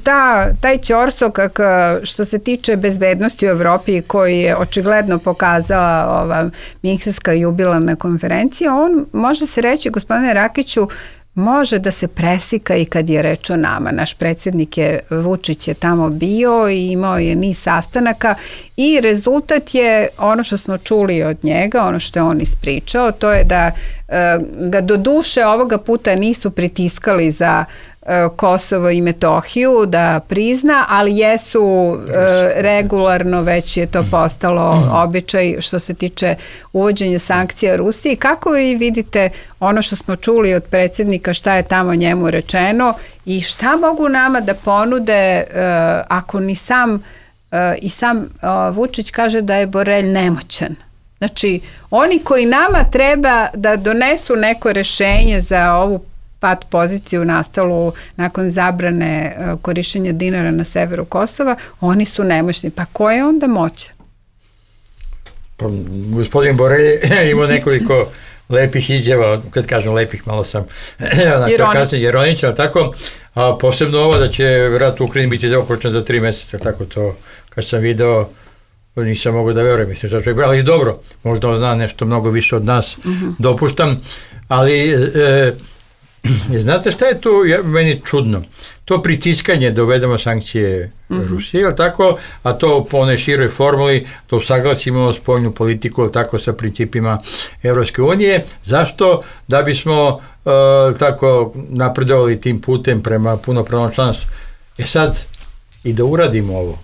ta, taj ćorsokak što se tiče bezbednosti u Evropi koji je očigledno pokazala ova Minhenska jubilarna konferencija, on može se reći, gospodine Rakiću, može da se presika i kad je reč o nama. Naš predsjednik je, Vučić je tamo bio i imao je niz sastanaka i rezultat je ono što smo čuli od njega, ono što je on ispričao, to je da e, ga do duše ovoga puta nisu pritiskali za Kosovo i Metohiju da prizna, ali jesu e, regularno, već je to postalo običaj što se tiče uvođenja sankcija Rusiji. Kako vi vidite ono što smo čuli od predsjednika, šta je tamo njemu rečeno i šta mogu nama da ponude e, ako ni sam e, i sam e, Vučić kaže da je Borelj nemoćan? Znači, oni koji nama treba da donesu neko rešenje za ovu pad poziciju nastalu nakon zabrane korišćenja dinara na severu Kosova, oni su nemoćni. Pa ko je onda moćan? Pa, gospodin Borelj imao nekoliko lepih izjava, kad kažem lepih, malo sam ironičan, ali tako, a posebno ovo da će rat u Ukrajini biti zaokručen za tri meseca, tako to, kad sam video, nisam mogu da verujem, mislim, da čovjek, ali dobro, možda on zna nešto mnogo više od nas, uh-huh. dopuštam, ali e, znate šta je tu ja, meni čudno? To pritiskanje da uvedemo sankcije mm-hmm. Rusije, ili tako, a to po onoj široj formuli, to usaglasimo spoljnu politiku, ili tako, sa principima Evropske unije. Zašto? Da bismo uh, tako napredovali tim putem prema punopravnom članstvu. E sad, i da uradimo ovo,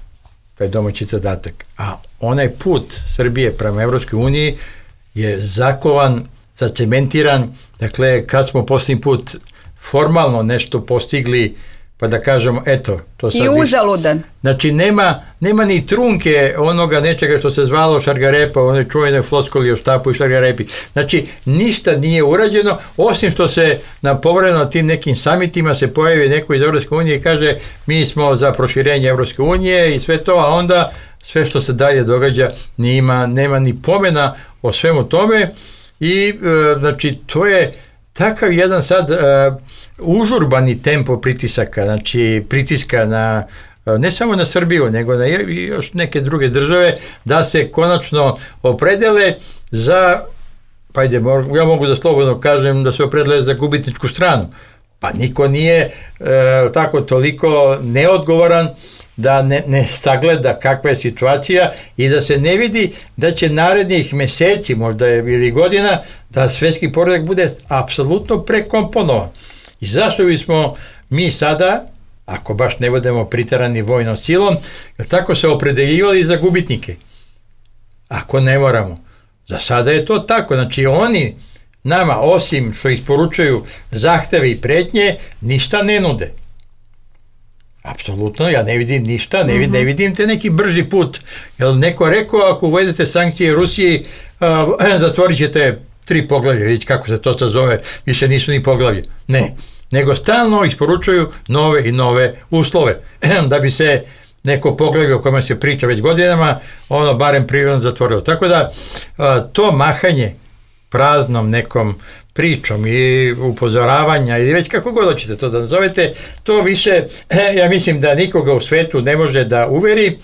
to je domaći zadatak, a onaj put Srbije prema Evropskoj uniji je zakovan, zacementiran, dakle, kad smo posljednji put formalno nešto postigli, pa da kažemo, eto, to sad... I uzaludan. Više, znači, nema, nema ni trunke onoga nečega što se zvalo šargarepa, one čuvene floskoli o štapu i šargarepi. Znači, ništa nije urađeno, osim što se na povremeno tim nekim samitima se pojavi neko iz Evropske unije i kaže, mi smo za proširenje Evropske unije i sve to, a onda sve što se dalje događa nima, nema ni pomena o svemu tome. I e, znači to je takav jedan sad e, užurbani tempo pritisaka, znači pritiska na e, ne samo na Srbiju, nego na još neke druge države da se konačno opredele za, pa ajde, ja mogu da slobodno kažem da se opredele za gubitničku stranu. Pa niko nije e, tako toliko neodgovoran da ne, ne sagleda kakva je situacija i da se ne vidi da će narednih meseci, možda ili godina, da svetski poredak bude apsolutno prekomponovan. I zašto bismo mi sada, ako baš ne budemo pritarani vojnom silom, tako se opredeljivali za gubitnike? Ako ne moramo. Za sada je to tako. Znači oni nama, osim što isporučuju zahteve i pretnje, ništa ne nude. Apsolutno, ja ne vidim ništa, ne vidim, ne vidim te neki brži put. Jel neko rekao, ako uvedete sankcije Rusiji, uh, zatvorit ćete tri poglavlja, vidite kako se to zove, više nisu ni poglavlje. Ne, nego stalno isporučuju nove i nove uslove, da bi se neko poglavlje o kome se priča već godinama, ono barem privremeno zatvorilo. Tako da, uh, to mahanje praznom nekom pričom i upozoravanja ili već kako god hoćete to da nazovete, to više, ja mislim da nikoga u svetu ne može da uveri,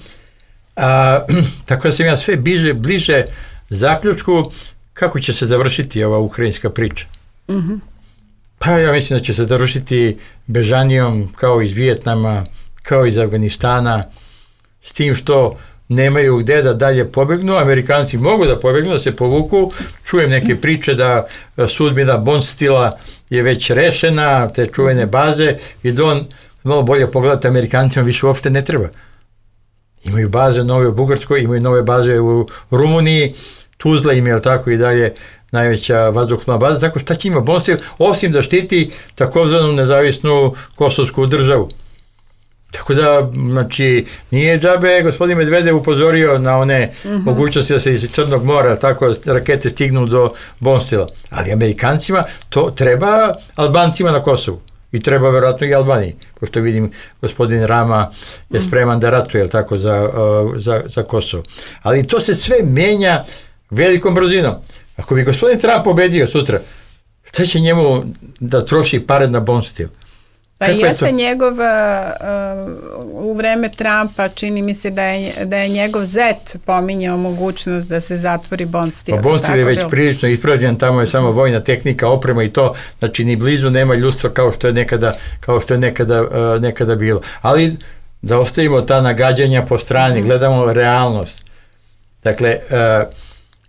A, tako da sam ja sve bliže, bliže zaključku kako će se završiti ova ukrajinska priča. Mhm. Pa ja mislim da će se završiti bežanijom kao iz Vijetnama, kao iz Afganistana, s tim što nemaju gde da dalje pobegnu. Amerikanci mogu da pobegnu, da se povuku. Čujem neke priče da sudbina Bondstila je već rešena, te čuvene baze, i da on malo bolje pogledati, Amerikancima više uopšte ne treba. Imaju baze nove u Bugarskoj, imaju nove baze u Rumuniji, Tuzla im je tako i dalje najveća vazduhoplovna baza, tako šta će ima Bondstil, osim da štiti takozvanu nezavisnu kosovsku državu. Tako da, znači, nije džabe gospodin Medvedev upozorio na one uh-huh. mogućnosti da se iz Crnog mora tako rakete stignu do Bondstila. Ali Amerikancima to treba Albancima na Kosovu. I treba verovatno i Albaniji, pošto vidim gospodin Rama je spreman da ratuje tako, za, za, za Kosovo. Ali to se sve menja velikom brzinom. Ako bi gospodin Trump pobedio sutra, šta će njemu da troši pare na Bondstil? Pa jeste njegov, uh, u vreme Trumpa čini mi se da je, da je njegov zet pominjao mogućnost da se zatvori Bondstil. Pa Bondstil je već bilo prilično ispravljen, tamo je samo vojna tehnika, oprema i to, znači ni blizu nema ljudstva kao što je nekada, kao što je nekada, uh, nekada bilo. Ali da ostavimo ta nagađanja po strani, mm. gledamo realnost. Dakle, uh,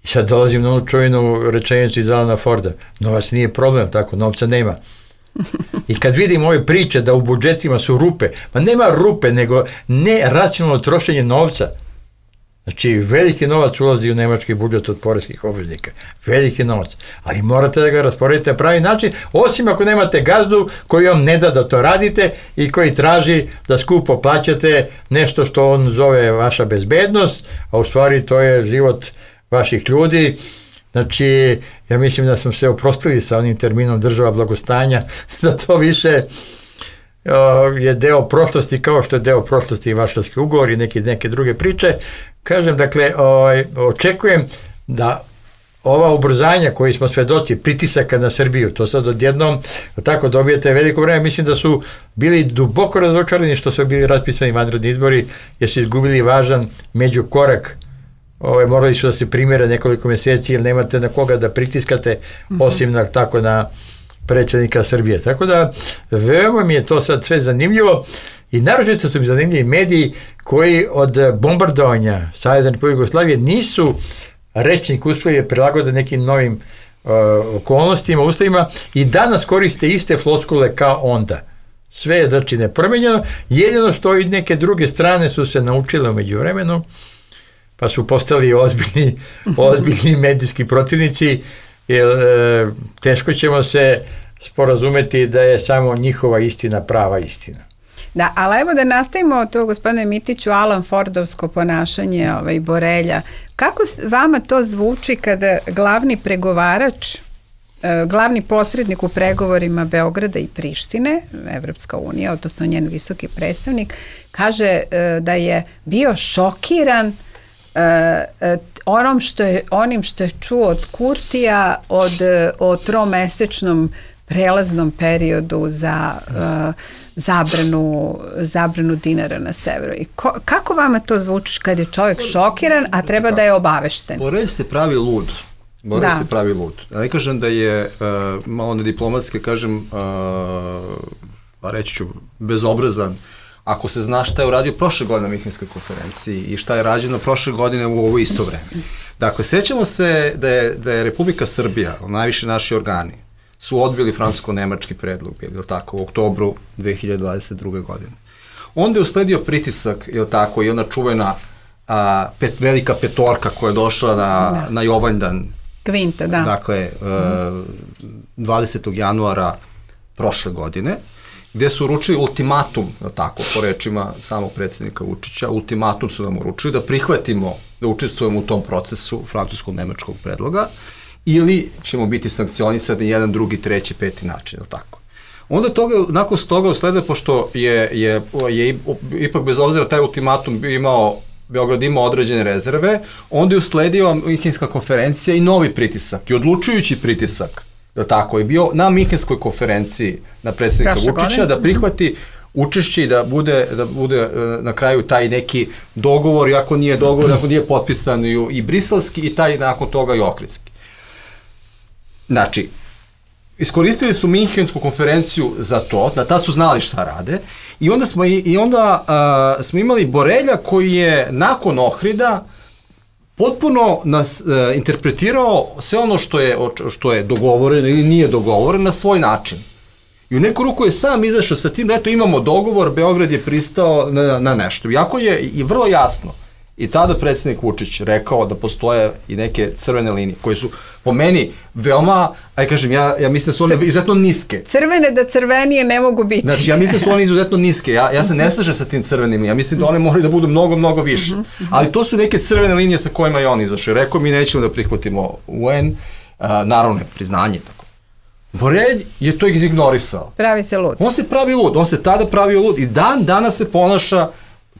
i sad dolazim na onu čuvenu rečenicu iz Alana Forda, novac nije problem, tako, novca nema. I kad vidim ove priče da u budžetima su rupe, ma nema rupe, nego neracionalno trošenje novca. Znači, veliki novac ulazi u nemački budžet od poreskih obveznika. Veliki novac. Ali morate da ga rasporedite na pravi način, osim ako nemate gazdu koji vam ne da da to radite i koji traži da skupo plaćate nešto što on zove vaša bezbednost, a u stvari to je život vaših ljudi. Znači, ja mislim da smo se oprostili sa onim terminom država blagostanja, da to više uh, je deo prošlosti, kao što je deo prošlosti i Varšavski ugovor i neke, neke druge priče. Kažem, dakle, uh, očekujem da ova ubrzanja koji smo svedoci, pritisaka na Srbiju, to sad odjednom tako dobijete veliko vreme, mislim da su bili duboko razočarani što su bili raspisani vanredni izbori, jer su izgubili važan međukorak. Ove, morali su da se primjere nekoliko mjeseci jer nemate na koga da pritiskate osim na, tako na predsjednika Srbije. Tako da veoma mi je to sad sve zanimljivo i naročito su mi zanimljivi mediji koji od bombardovanja Savezne Republike Jugoslavije nisu rečnik uspjeli da prilagode nekim novim uh, okolnostima, uslovima i danas koriste iste floskule kao onda. Sve je znači nepromenjeno, jedino što i neke druge strane su se naučile u međuvremenu, pa su postali ozbiljni, ozbiljni medijski protivnici, jer e, teško ćemo se sporazumeti da je samo njihova istina prava istina. Da, ali evo da nastavimo to, gospodine Mitiću, Alan Fordovsko ponašanje ovaj, Borelja. Kako vama to zvuči kada glavni pregovarač, glavni posrednik u pregovorima Beograda i Prištine, Evropska unija, odnosno njen visoki predstavnik, kaže da je bio šokiran Uh, onom što je, onim što je čuo od Kurtija od, o tromesečnom prelaznom periodu za uh, zabranu, zabranu dinara na severu. I ko, kako vama to zvuči kad je čovjek šokiran, a treba da je obavešten? Borelj se pravi lud. Borelj se pravi lud. Ja ne kažem da je uh, malo na diplomatske, kažem, uh, reći ću, bezobrazan, ako se zna šta je uradio prošle godine na Minhenskoj konferenciji i šta je rađeno prošle godine u ovo isto vreme. Dakle, sećamo se da je, da je Republika Srbija, najviše naši organi, su odbili francusko-nemački predlog, je li tako, u oktobru dve hiljade dvadeset druge. godine. Onda je usledio pritisak, je li tako, i ona čuvena a, pet, velika petorka koja je došla na, da. na Jovanjdan. Kvinta, da. Dakle, a, dvadesetog januara prošle godine, gde su uručili ultimatum, tako, po rečima samog predsjednika Vučića, ultimatum su nam uručili da prihvatimo, da učestvujemo u tom procesu francusko-nemačkog predloga, ili ćemo biti sankcionisani jedan, drugi, treći, peti način, ili tako. Onda toga, nakon toga uslede, pošto je, je, je ipak bez obzira taj ultimatum imao, Beograd imao određene rezerve, onda je usledio Minhenska konferencija i novi pritisak, i odlučujući pritisak, da tako, je bio na Minhenskoj konferenciji na predsjednika Vučića da prihvati učešće i da bude, da bude na kraju taj neki dogovor, iako nije dogovor, iako nije potpisan i, i briselski i taj nakon toga i ohridski. Znači, iskoristili su Minhensku konferenciju za to, da tad su znali šta rade i onda smo, i, i onda, uh, smo imali Borelja koji je nakon Ohrida potpuno nas uh, interpretirao sve ono što je, što je dogovoreno ili nije dogovoreno na svoj način. I u neku ruku je sam izašao sa tim da eto imamo dogovor, Beograd je pristao na, na nešto. Iako je i vrlo jasno i tada predsjednik Vučić rekao da postoje i neke crvene linije koje su po meni veoma, aj kažem, ja, ja mislim da su one Cr... izuzetno niske. Crvene da crvenije ne mogu biti. Znači, ja mislim da su one izuzetno niske. Ja, ja se ne slažem sa tim crvenim linijama. Ja mislim da one moraju da budu mnogo, mnogo više. Ali to su neke crvene linije sa kojima je on izašao. Rekao mi nećemo da prihvatimo U N, uh, naravno priznanje. Tako. Borelj je to izignorisao. Pravi se lud. On se pravi lud. On se tada pravio lud i dan danas se ponaša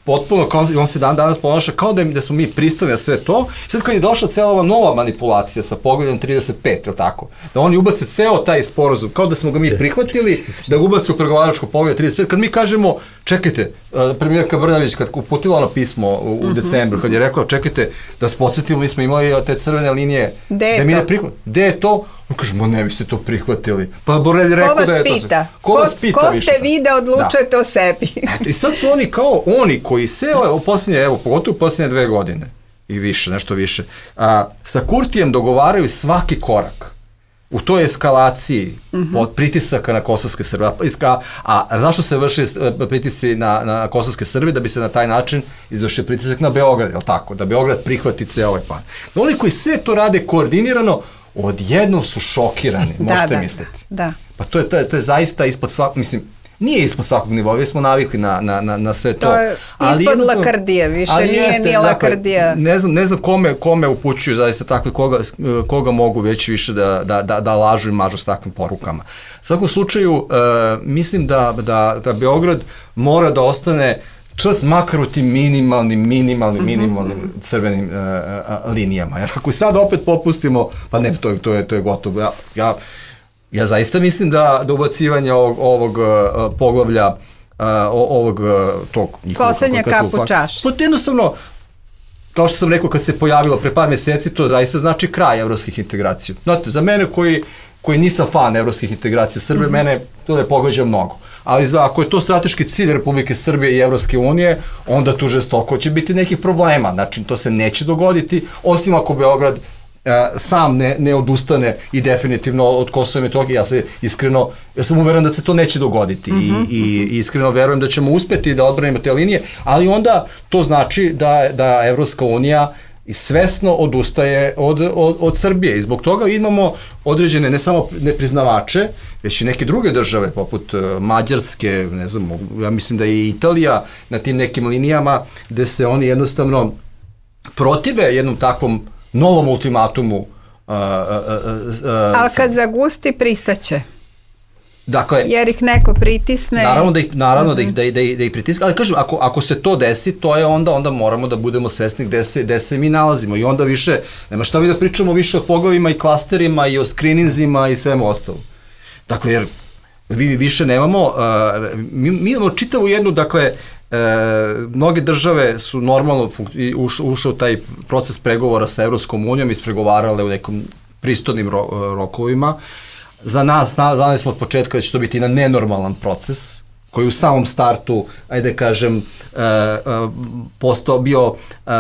potpuno, kao, on se dan danas ponaša kao da, da smo mi pristali na sve to. Sad kad je došla cijela ova nova manipulacija sa pogledom trideset pet, je li tako? Da oni ubace ceo taj sporazum, kao da smo ga mi prihvatili, da ga ubace u pregovaračko pogled trideset pet. Kad mi kažemo, čekajte, premijerka Brnabić kad uputila ono pismo u, u decembru, kad je rekla, čekajte, da se podsjetimo, mi smo imali te crvene linije. Gde je da mi to? Ne prihvat... Gde je to? On kaže, mo ne bi ste to prihvatili. Pa Borelj rekao da je pita? to... Ko vas pita? Ko više? ste vi da odlučujete da. o sebi? Eto, i sad su oni kao oni koji se u posljednje, evo, pogotovo u posljednje dve godine i više, nešto više, a, sa Kurtijem dogovaraju svaki korak u toj eskalaciji mm-hmm. od pritisaka na kosovske Srbe. A, a zašto se vrši pritisci na, na kosovske Srbe? Da bi se na taj način izvršio pritisak na Beograd, je li tako? Da Beograd prihvati ceo ovaj plan. Oni koji sve to rade koordinirano, odjednom su šokirani, možete da, misliti. Da, da. Pa to je, to je, to je zaista ispod svakog, mislim, nije ispod svakog nivoa, smo navikli na, na, na, na sve to. To je ali ispod lakardije, više nije jeste, nije lakardija. Dakle, ne znam, ne znam kome, kome upućuju zaista takve, koga, koga mogu već više da, da, da, da lažu i mažu s takvim porukama. U svakom slučaju, uh, mislim da, da, da Beograd mora da ostane čvrst makar u tim minimalnim, minimalnim, minimalnim mm-hmm. crvenim uh, linijama. Jer ako sad opet popustimo, pa ne, to je, to je, to je gotovo. Ja, ja, ja zaista mislim da, da ubacivanje ovog, ovog uh, poglavlja, uh, ovog tog... Poslednja kap u čaši. To jednostavno, kao što sam rekao, kad se pojavilo pre par meseci, to zaista znači kraj evropskih integracija. Znate, za mene koji, koji nisam fan evropskih integracija Srbije, mm-hmm. mene to ne pogađa mnogo. Ali za, ako je to strateški cilj Republike Srbije i Evropske unije, onda tu žestoko će biti nekih problema. Znači, to se neće dogoditi, osim ako Beograd uh, sam ne, ne odustane i definitivno od Kosova i Metohije. Ja se iskreno, ja sam uveren da se to neće dogoditi mm-hmm. i, i, i iskreno verujem da ćemo uspeti da odbranimo te linije, ali onda to znači da, da Evropska unija i svesno odustaje od, od, od Srbije i zbog toga imamo određene ne samo nepriznavače, već i neke druge države poput Mađarske, ne znam, ja mislim da je i Italija na tim nekim linijama gde se oni jednostavno protive jednom takvom novom ultimatumu. Uh, uh, uh, Ali kad zagusti, pristaće. Dakle, jer ih neko pritisne. Naravno da ih, naravno mm-hmm. da ih, da ih, da ih pritiska, ali kažem, ako, ako se to desi, to je onda, onda moramo da budemo svesni gde se, gde se mi nalazimo i onda više, nema šta vi da pričamo više o poglavima i klasterima i o screeninzima i svemu ostalom. Dakle, jer vi više nemamo, uh, mi, mi imamo čitavu jednu, dakle, E, mnoge države su normalno ušle uš, u taj proces pregovora sa Evropskom unijom, ispregovarale u nekom pristojnim ro, rokovima. Za nas, znali smo od početka da će to biti na nenormalan proces, koji u samom startu, ajde kažem, uh, uh, postao bio, uh,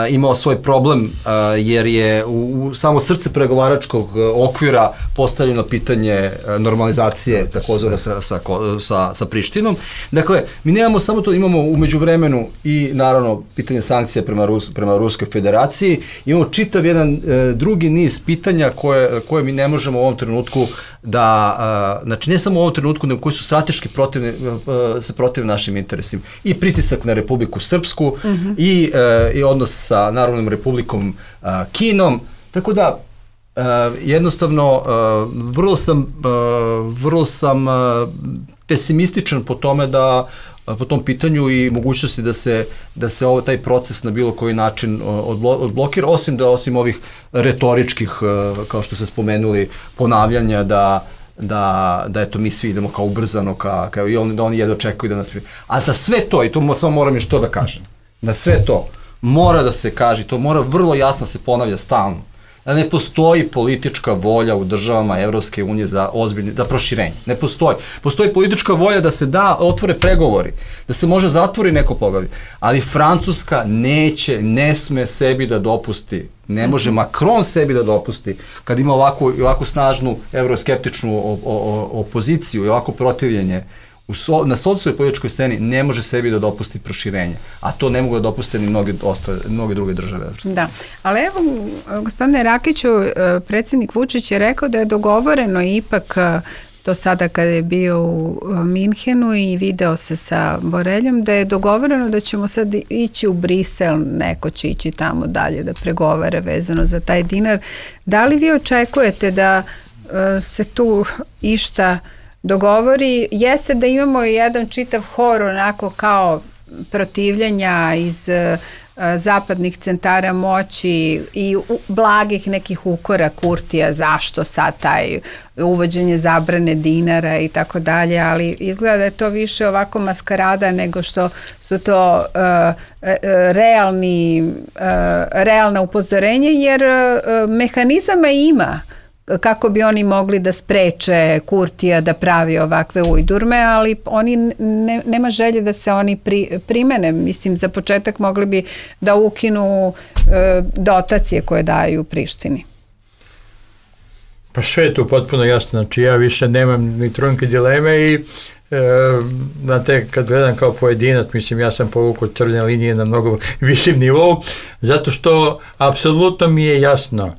imao svoj problem, uh, jer je u, u samo srce pregovaračkog okvira postavljeno pitanje uh, normalizacije takozvane sa, sa, sa, sa Prištinom. Dakle, mi nemamo samo to, imamo u međuvremenu i naravno pitanje sankcija prema, Rus, prema Ruskoj federaciji, imamo čitav jedan uh, drugi niz pitanja koje, koje mi ne možemo u ovom trenutku da, uh, znači ne samo u ovom trenutku, nego koji su strateški protivni, uh, se protiv našim interesima. I pritisak na Republiku Srpsku mm-hmm. i, e, i odnos sa Narodnom Republikom a, Kinom. Tako da, e, jednostavno, e, vrlo sam, e, vrlo sam e, pesimističan po tome da po tom pitanju i mogućnosti da se, da se ovo, taj proces na bilo koji način odblo, odblokira, osim da osim ovih retoričkih, kao što ste spomenuli, ponavljanja da da, da eto mi svi idemo kao ubrzano, ka, kao i on, da oni jedno očekuju da nas primi. A da sve to, i to samo moram još to da kažem, da sve to mora da se kaže, to mora vrlo jasno se ponavlja stalno, da ne postoji politička volja u državama Evropske unije za ozbiljne, za proširenje. Ne postoji. Postoji politička volja da se da, otvore pregovori, da se može zatvori neko poglavlje, ali Francuska neće, ne sme sebi da dopusti, ne može Macron sebi da dopusti, kad ima ovako, ovako snažnu euroskeptičnu o, o, opoziciju i ovako protivljenje, U so, na sopstvenoj političkoj sceni ne može sebi da dopusti proširenje, a to ne mogu da dopuste ni mnoge, ostale, mnoge druge države. Da, ali evo, gospodine Rakiću, predsjednik Vučić je rekao da je dogovoreno ipak to sada kada je bio u Minhenu i video se sa Boreljom, da je dogovoreno da ćemo sad ići u Brisel, neko će ići tamo dalje da pregovara vezano za taj dinar. Da li vi očekujete da se tu išta dogovori? Jeste da imamo jedan čitav hor onako kao protivljenja iz uh, zapadnih centara moći i u, blagih nekih ukora Kurtija, zašto sad taj uvođenje zabrane dinara i tako dalje, ali izgleda da je to više ovako maskarada nego što su to uh, realni, uh, realna upozorenje, jer uh, mehanizama ima kako bi oni mogli da spreče Kurtija da pravi ovakve ujdurme, ali oni ne, nema želje da se oni pri, primene. Mislim, za početak mogli bi da ukinu e, dotacije koje daju Prištini. Pa sve je tu potpuno jasno. Znači ja više nemam ni trunke dileme i e, znate, kad gledam kao pojedinac, mislim, ja sam povukao crvene linije na mnogo višim nivou, zato što apsolutno mi je jasno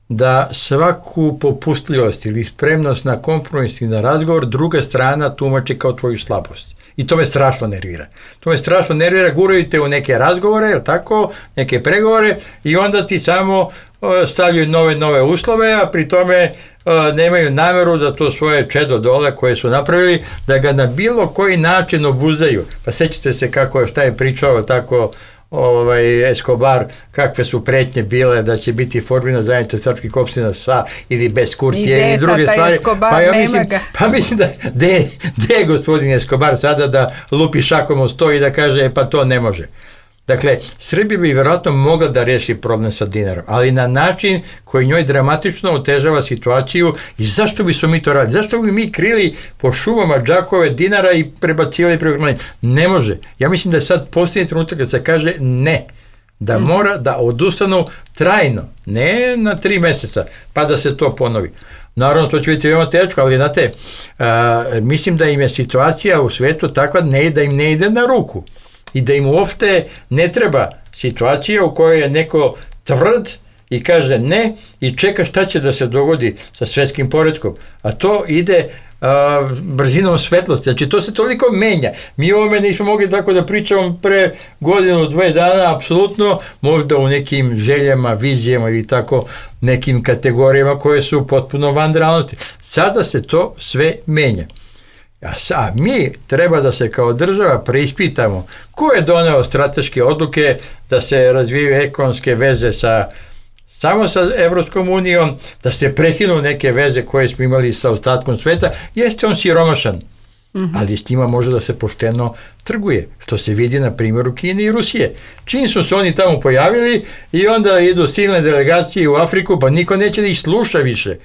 da svaku popustljivost ili spremnost na kompromis i na razgovor druga strana tumači kao tvoju slabost. I to me strašno nervira. To me strašno nervira, guraju te u neke razgovore, jel tako, neke pregovore i onda ti samo uh, stavljaju nove, nove uslove, a pri tome uh, nemaju nameru da to svoje čedo dole koje su napravili, da ga na bilo koji način obuzdaju. Pa sećate se kako, šta je pričao tako ovaj Escobar, kakve su pretnje bile da će biti formirana zajednica srpskih opština sa ili bez Kurtije i druge stvari. Escobar, pa ja mislim, pa mislim da de, de gospodin Escobar sada da lupi šakom o sto i da kaže pa to ne može. Dakle, Srbija bi vjerojatno mogla da reši problem sa dinarom, ali na način koji njoj dramatično otežava situaciju. I zašto bi smo mi to radili? Zašto bi mi krili po šumama džakove dinara i prebacivali programanje? Ne može. Ja mislim da je sad posljednji trenutak kad se kaže ne, da mora da odustanu trajno, ne na tri meseca, pa da se to ponovi. Naravno, to će biti veoma teško, ali znate, a, mislim da im je situacija u svetu takva ne, da im ne ide na ruku. I da im uopšte ne treba situacija u kojoj je neko tvrd i kaže ne i čeka šta će da se dogodi sa svetskim poretkom. A to ide a, brzinom svetlosti. Znači to se toliko menja. Mi o ovome nismo mogli tako da pričamo pre godinu, dve dana, apsolutno, možda u nekim željama, vizijama ili tako nekim kategorijama koje su potpuno van realnosti. Sada se to sve menja. A, a mi treba da se kao država preispitamo ko je doneo strateške odluke da se razvijaju ekonomske veze sa samo sa Evropskom unijom, da se prekinu neke veze koje smo imali sa ostatkom sveta. Jeste on siromašan, mm-hmm. ali s njima može da se pošteno trguje, što se vidi na primjeru Kine i Rusije. Čim su se oni tamo pojavili i onda idu silne delegacije u Afriku, pa niko neće da ih sluša više,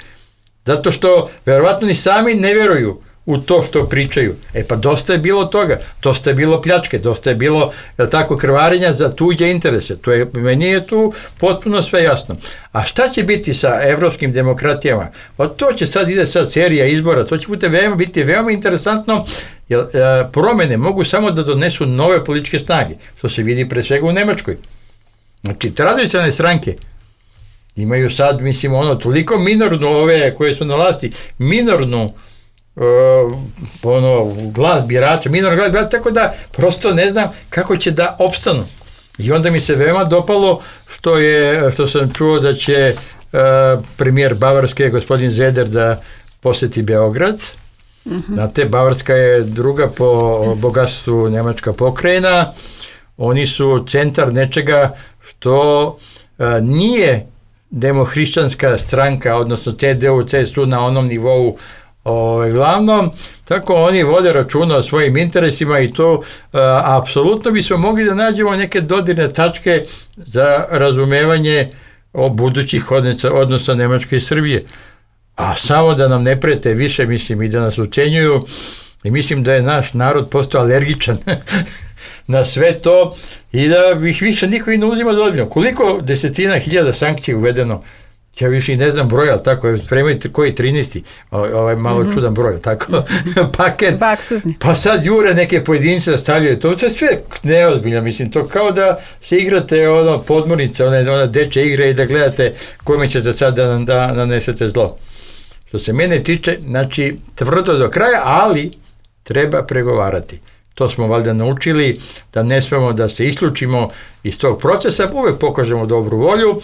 zato što verovatno ni sami ne vjeruju u to što pričaju. E pa dosta je bilo toga, dosta je bilo pljačke, dosta je bilo, jel tako, krvarenja za tuđe interese. To je, meni je tu potpuno sve jasno. A šta će biti sa evropskim demokratijama? Pa to će sad, ide sad serija izbora, to će biti veoma, biti veoma interesantno, jer e, promene mogu samo da donesu nove političke snage, što se vidi pre svega u Nemačkoj. Znači, tradicionalne stranke imaju sad, mislim, ono, toliko minornu, ove koje su na vlasti, minornu Uh, ono, glas birača, minor glas birača, tako da prosto ne znam kako će da opstanu. I onda mi se veoma dopalo što je, što sam čuo da će uh, premijer Bavarske, gospodin Zeder, da poseti Beograd. Mm-hmm. Znate, Bavarska je druga po bogatstvu nemačka pokrajina. Oni su centar nečega što uh, nije demohrišćanska stranka, odnosno C D U, C S U na onom nivou Ove, glavnom, tako oni vode računa o svojim interesima i to uh, apsolutno bismo mogli da nađemo neke dodirne tačke za razumevanje o budućih odnosa, odnosa Nemačke i Srbije. A samo da nam ne prete više, mislim, i da nas ucenjuju, i mislim da je naš narod postao alergičan na sve to i da ih više niko i ne uzima za ozbiljno. Koliko desetina hiljada sankcija uvedeno, ja više i ne znam broj, ali tako, spremajte koji trinaesti, ovaj malo mm-hmm. čudan broj, tako, paket. Baksuzni. Pa sad jure neke pojedince da stavljaju, to je sve neozbiljno, mislim, to kao da se igrate ono podmornica, ona, ona deče igre i da gledate kome će za sad da, da nanesete zlo. Što se mene tiče, znači, tvrdo do kraja, ali treba pregovarati. To smo valjda naučili, da ne smemo da se isključimo iz tog procesa, uvek pokažemo dobru volju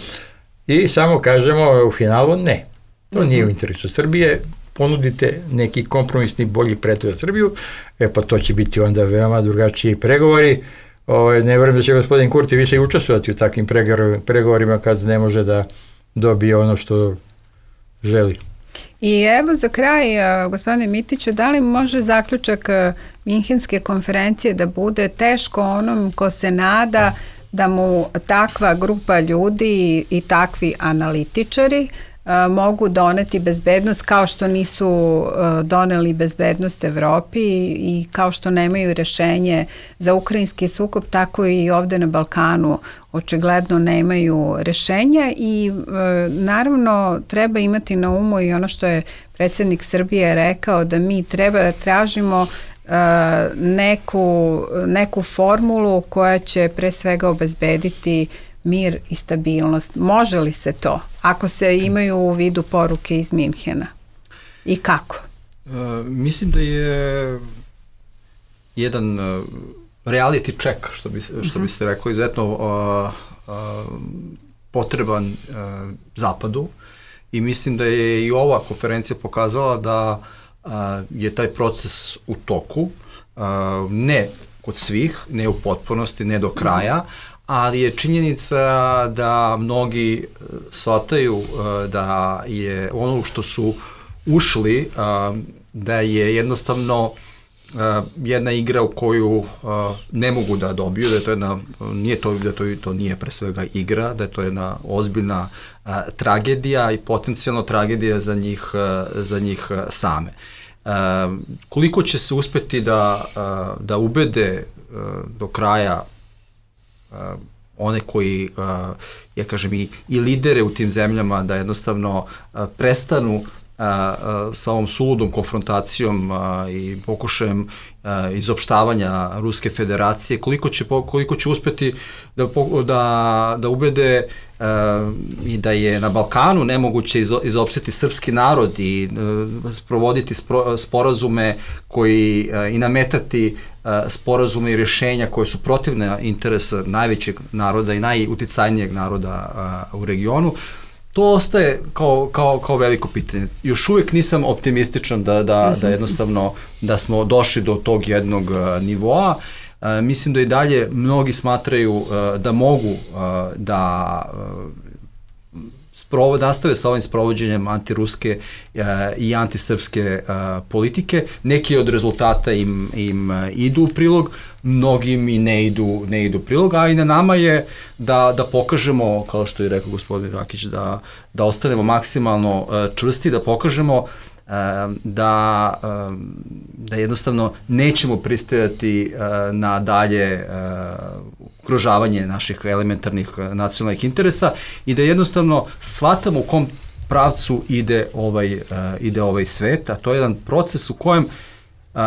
i samo kažemo u finalu ne. To nije u interesu Srbije, ponudite neki kompromisni bolji predlog za Srbiju, e pa to će biti onda veoma drugačiji pregovori. Ovaj, ne verujem da će gospodin Kurti više i učestvovati u takvim pregovorima kad ne može da dobije ono što želi. I evo za kraj, gospodine Mitiću, da li može zaključak Minhenske konferencije da bude teško onom ko se nada da mu takva grupa ljudi i takvi analitičari mogu doneti bezbednost kao što nisu doneli bezbednost Evropi i kao što nemaju rešenje za ukrajinski sukob, tako i ovde na Balkanu očigledno nemaju rešenja i naravno treba imati na umu i ono što je predsjednik Srbije rekao, da mi treba da tražimo neku, neku formulu koja će pre svega obezbediti mir i stabilnost. Može li se to, ako se imaju u vidu poruke iz Minhena? I kako? Uh, mislim da je jedan uh, reality check, što bi, što bi se reklo, izuzetno uh, uh, potreban uh, Zapadu i mislim da je i ova konferencija pokazala da uh, je taj proces u toku, uh, ne kod svih, ne u potpunosti, ne do kraja, ali je činjenica da mnogi shvataju da je ono što su ušli, da je jednostavno jedna igra u koju ne mogu da dobiju, da je to jedna, nije to, da to, to nije pre svega igra, da je to jedna ozbiljna tragedija i potencijalno tragedija za njih, za njih same. Koliko će se uspeti da, da ubede do kraja Uh, one koji, uh, ja kažem, i, i lidere u tim zemljama da jednostavno uh, prestanu uh, uh, sa ovom suludom konfrontacijom uh, i pokušajem uh, izopštavanja Ruske federacije, koliko će, koliko će uspeti da, da, da ubede uh, i da je na Balkanu nemoguće izo, izopštiti srpski narod i uh, sprovoditi spro, sporazume koji uh, i nametati sporazume i rješenja koje su protivne interesa najvećeg naroda i najuticajnijeg naroda uh, u regionu, to ostaje kao, kao, kao veliko pitanje. Još uvijek nisam optimističan da, da, da jednostavno da smo došli do tog jednog uh, nivoa. Uh, mislim da i dalje mnogi smatraju uh, da mogu uh, da uh, sprovod, nastave sa ovim sprovođenjem antiruske uh, i antisrpske uh, politike. Neki od rezultata im, im uh, idu u prilog, mnogim i ne idu, ne idu u prilog, a i na nama je da, da pokažemo, kao što je rekao gospodin Rakić, da, da ostanemo maksimalno uh, čvrsti, da pokažemo uh, da, uh, da jednostavno nećemo pristajati uh, na dalje uh, ugrožavanje naših elementarnih nacionalnih interesa i da jednostavno shvatamo u kom pravcu ide ovaj, uh, ide ovaj svet, a to je jedan proces u kojem uh,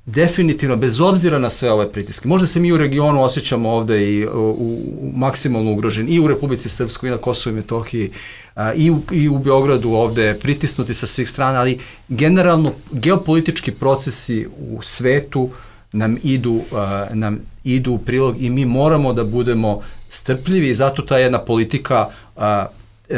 definitivno, bez obzira na sve ove pritiske, možda se mi u regionu osjećamo ovde i u, u, maksimalno ugroženi i u Republici Srpskoj i na Kosovu i Metohiji uh, i, u, i u Beogradu ovde pritisnuti sa svih strana, ali generalno geopolitički procesi u svetu nam idu, uh, nam idu u prilog i mi moramo da budemo strpljivi i zato ta jedna politika uh,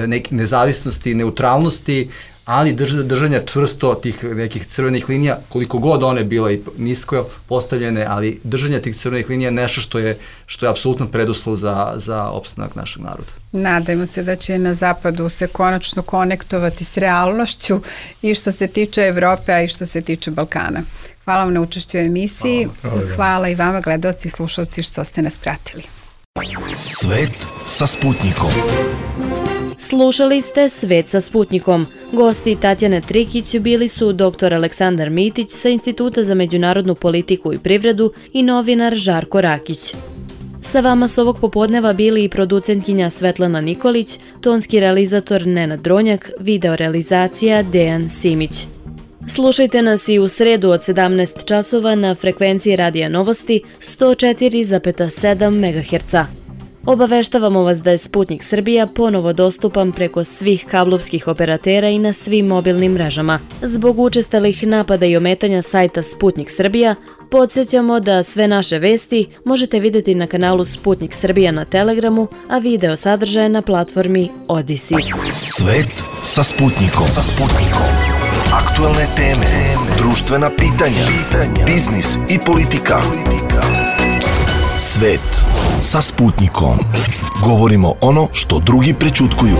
ne, nezavisnosti i neutralnosti ali drž, držanja čvrsto tih nekih crvenih linija, koliko god one bile i nisko postavljene, ali držanje tih crvenih linija je nešto što je, što je apsolutno preduslov za, za opstanak našeg naroda. Nadajmo se da će na zapadu se konačno konektovati s realnošću i što se tiče Evrope, a i što se tiče Balkana. Hvala vam na učešću u emisiji. Hvala, hvala, hvala i vama, gledaoci i slušalci, što ste nas pratili. Svet sa Sputnikom. Slušali ste Svet sa Sputnikom. Gosti Tatjane Trikić bili su doktor Aleksandar Mitić sa Instituta za međunarodnu politiku i privredu i novinar Žarko Rakić. Sa vama s ovog popodneva bili i producentkinja Svetlana Nikolić, tonski realizator Nenad Dronjak, videorealizacija Dejan Simić. Slušajte nas i u sredu od sedamnaest časova na frekvenciji Radija Novosti sto četiri zarez sedam megaherca. Obaveštavamo vas da je Sputnik Srbija ponovo dostupan preko svih kablovskih operatera i na svim mobilnim mrežama. Zbog učestalih napada i ometanja sajta Sputnik Srbija, podsjećamo da sve naše vesti možete vidjeti na kanalu Sputnik Srbija na Telegramu, a video sadržaje na platformi Odisi. Svet sa Sputnikom. Sa Sputnikom. Aktualne teme, društvena pitanja, biznis i politika. Svet sa Sputnikom. Govorimo ono što drugi prećutkuju.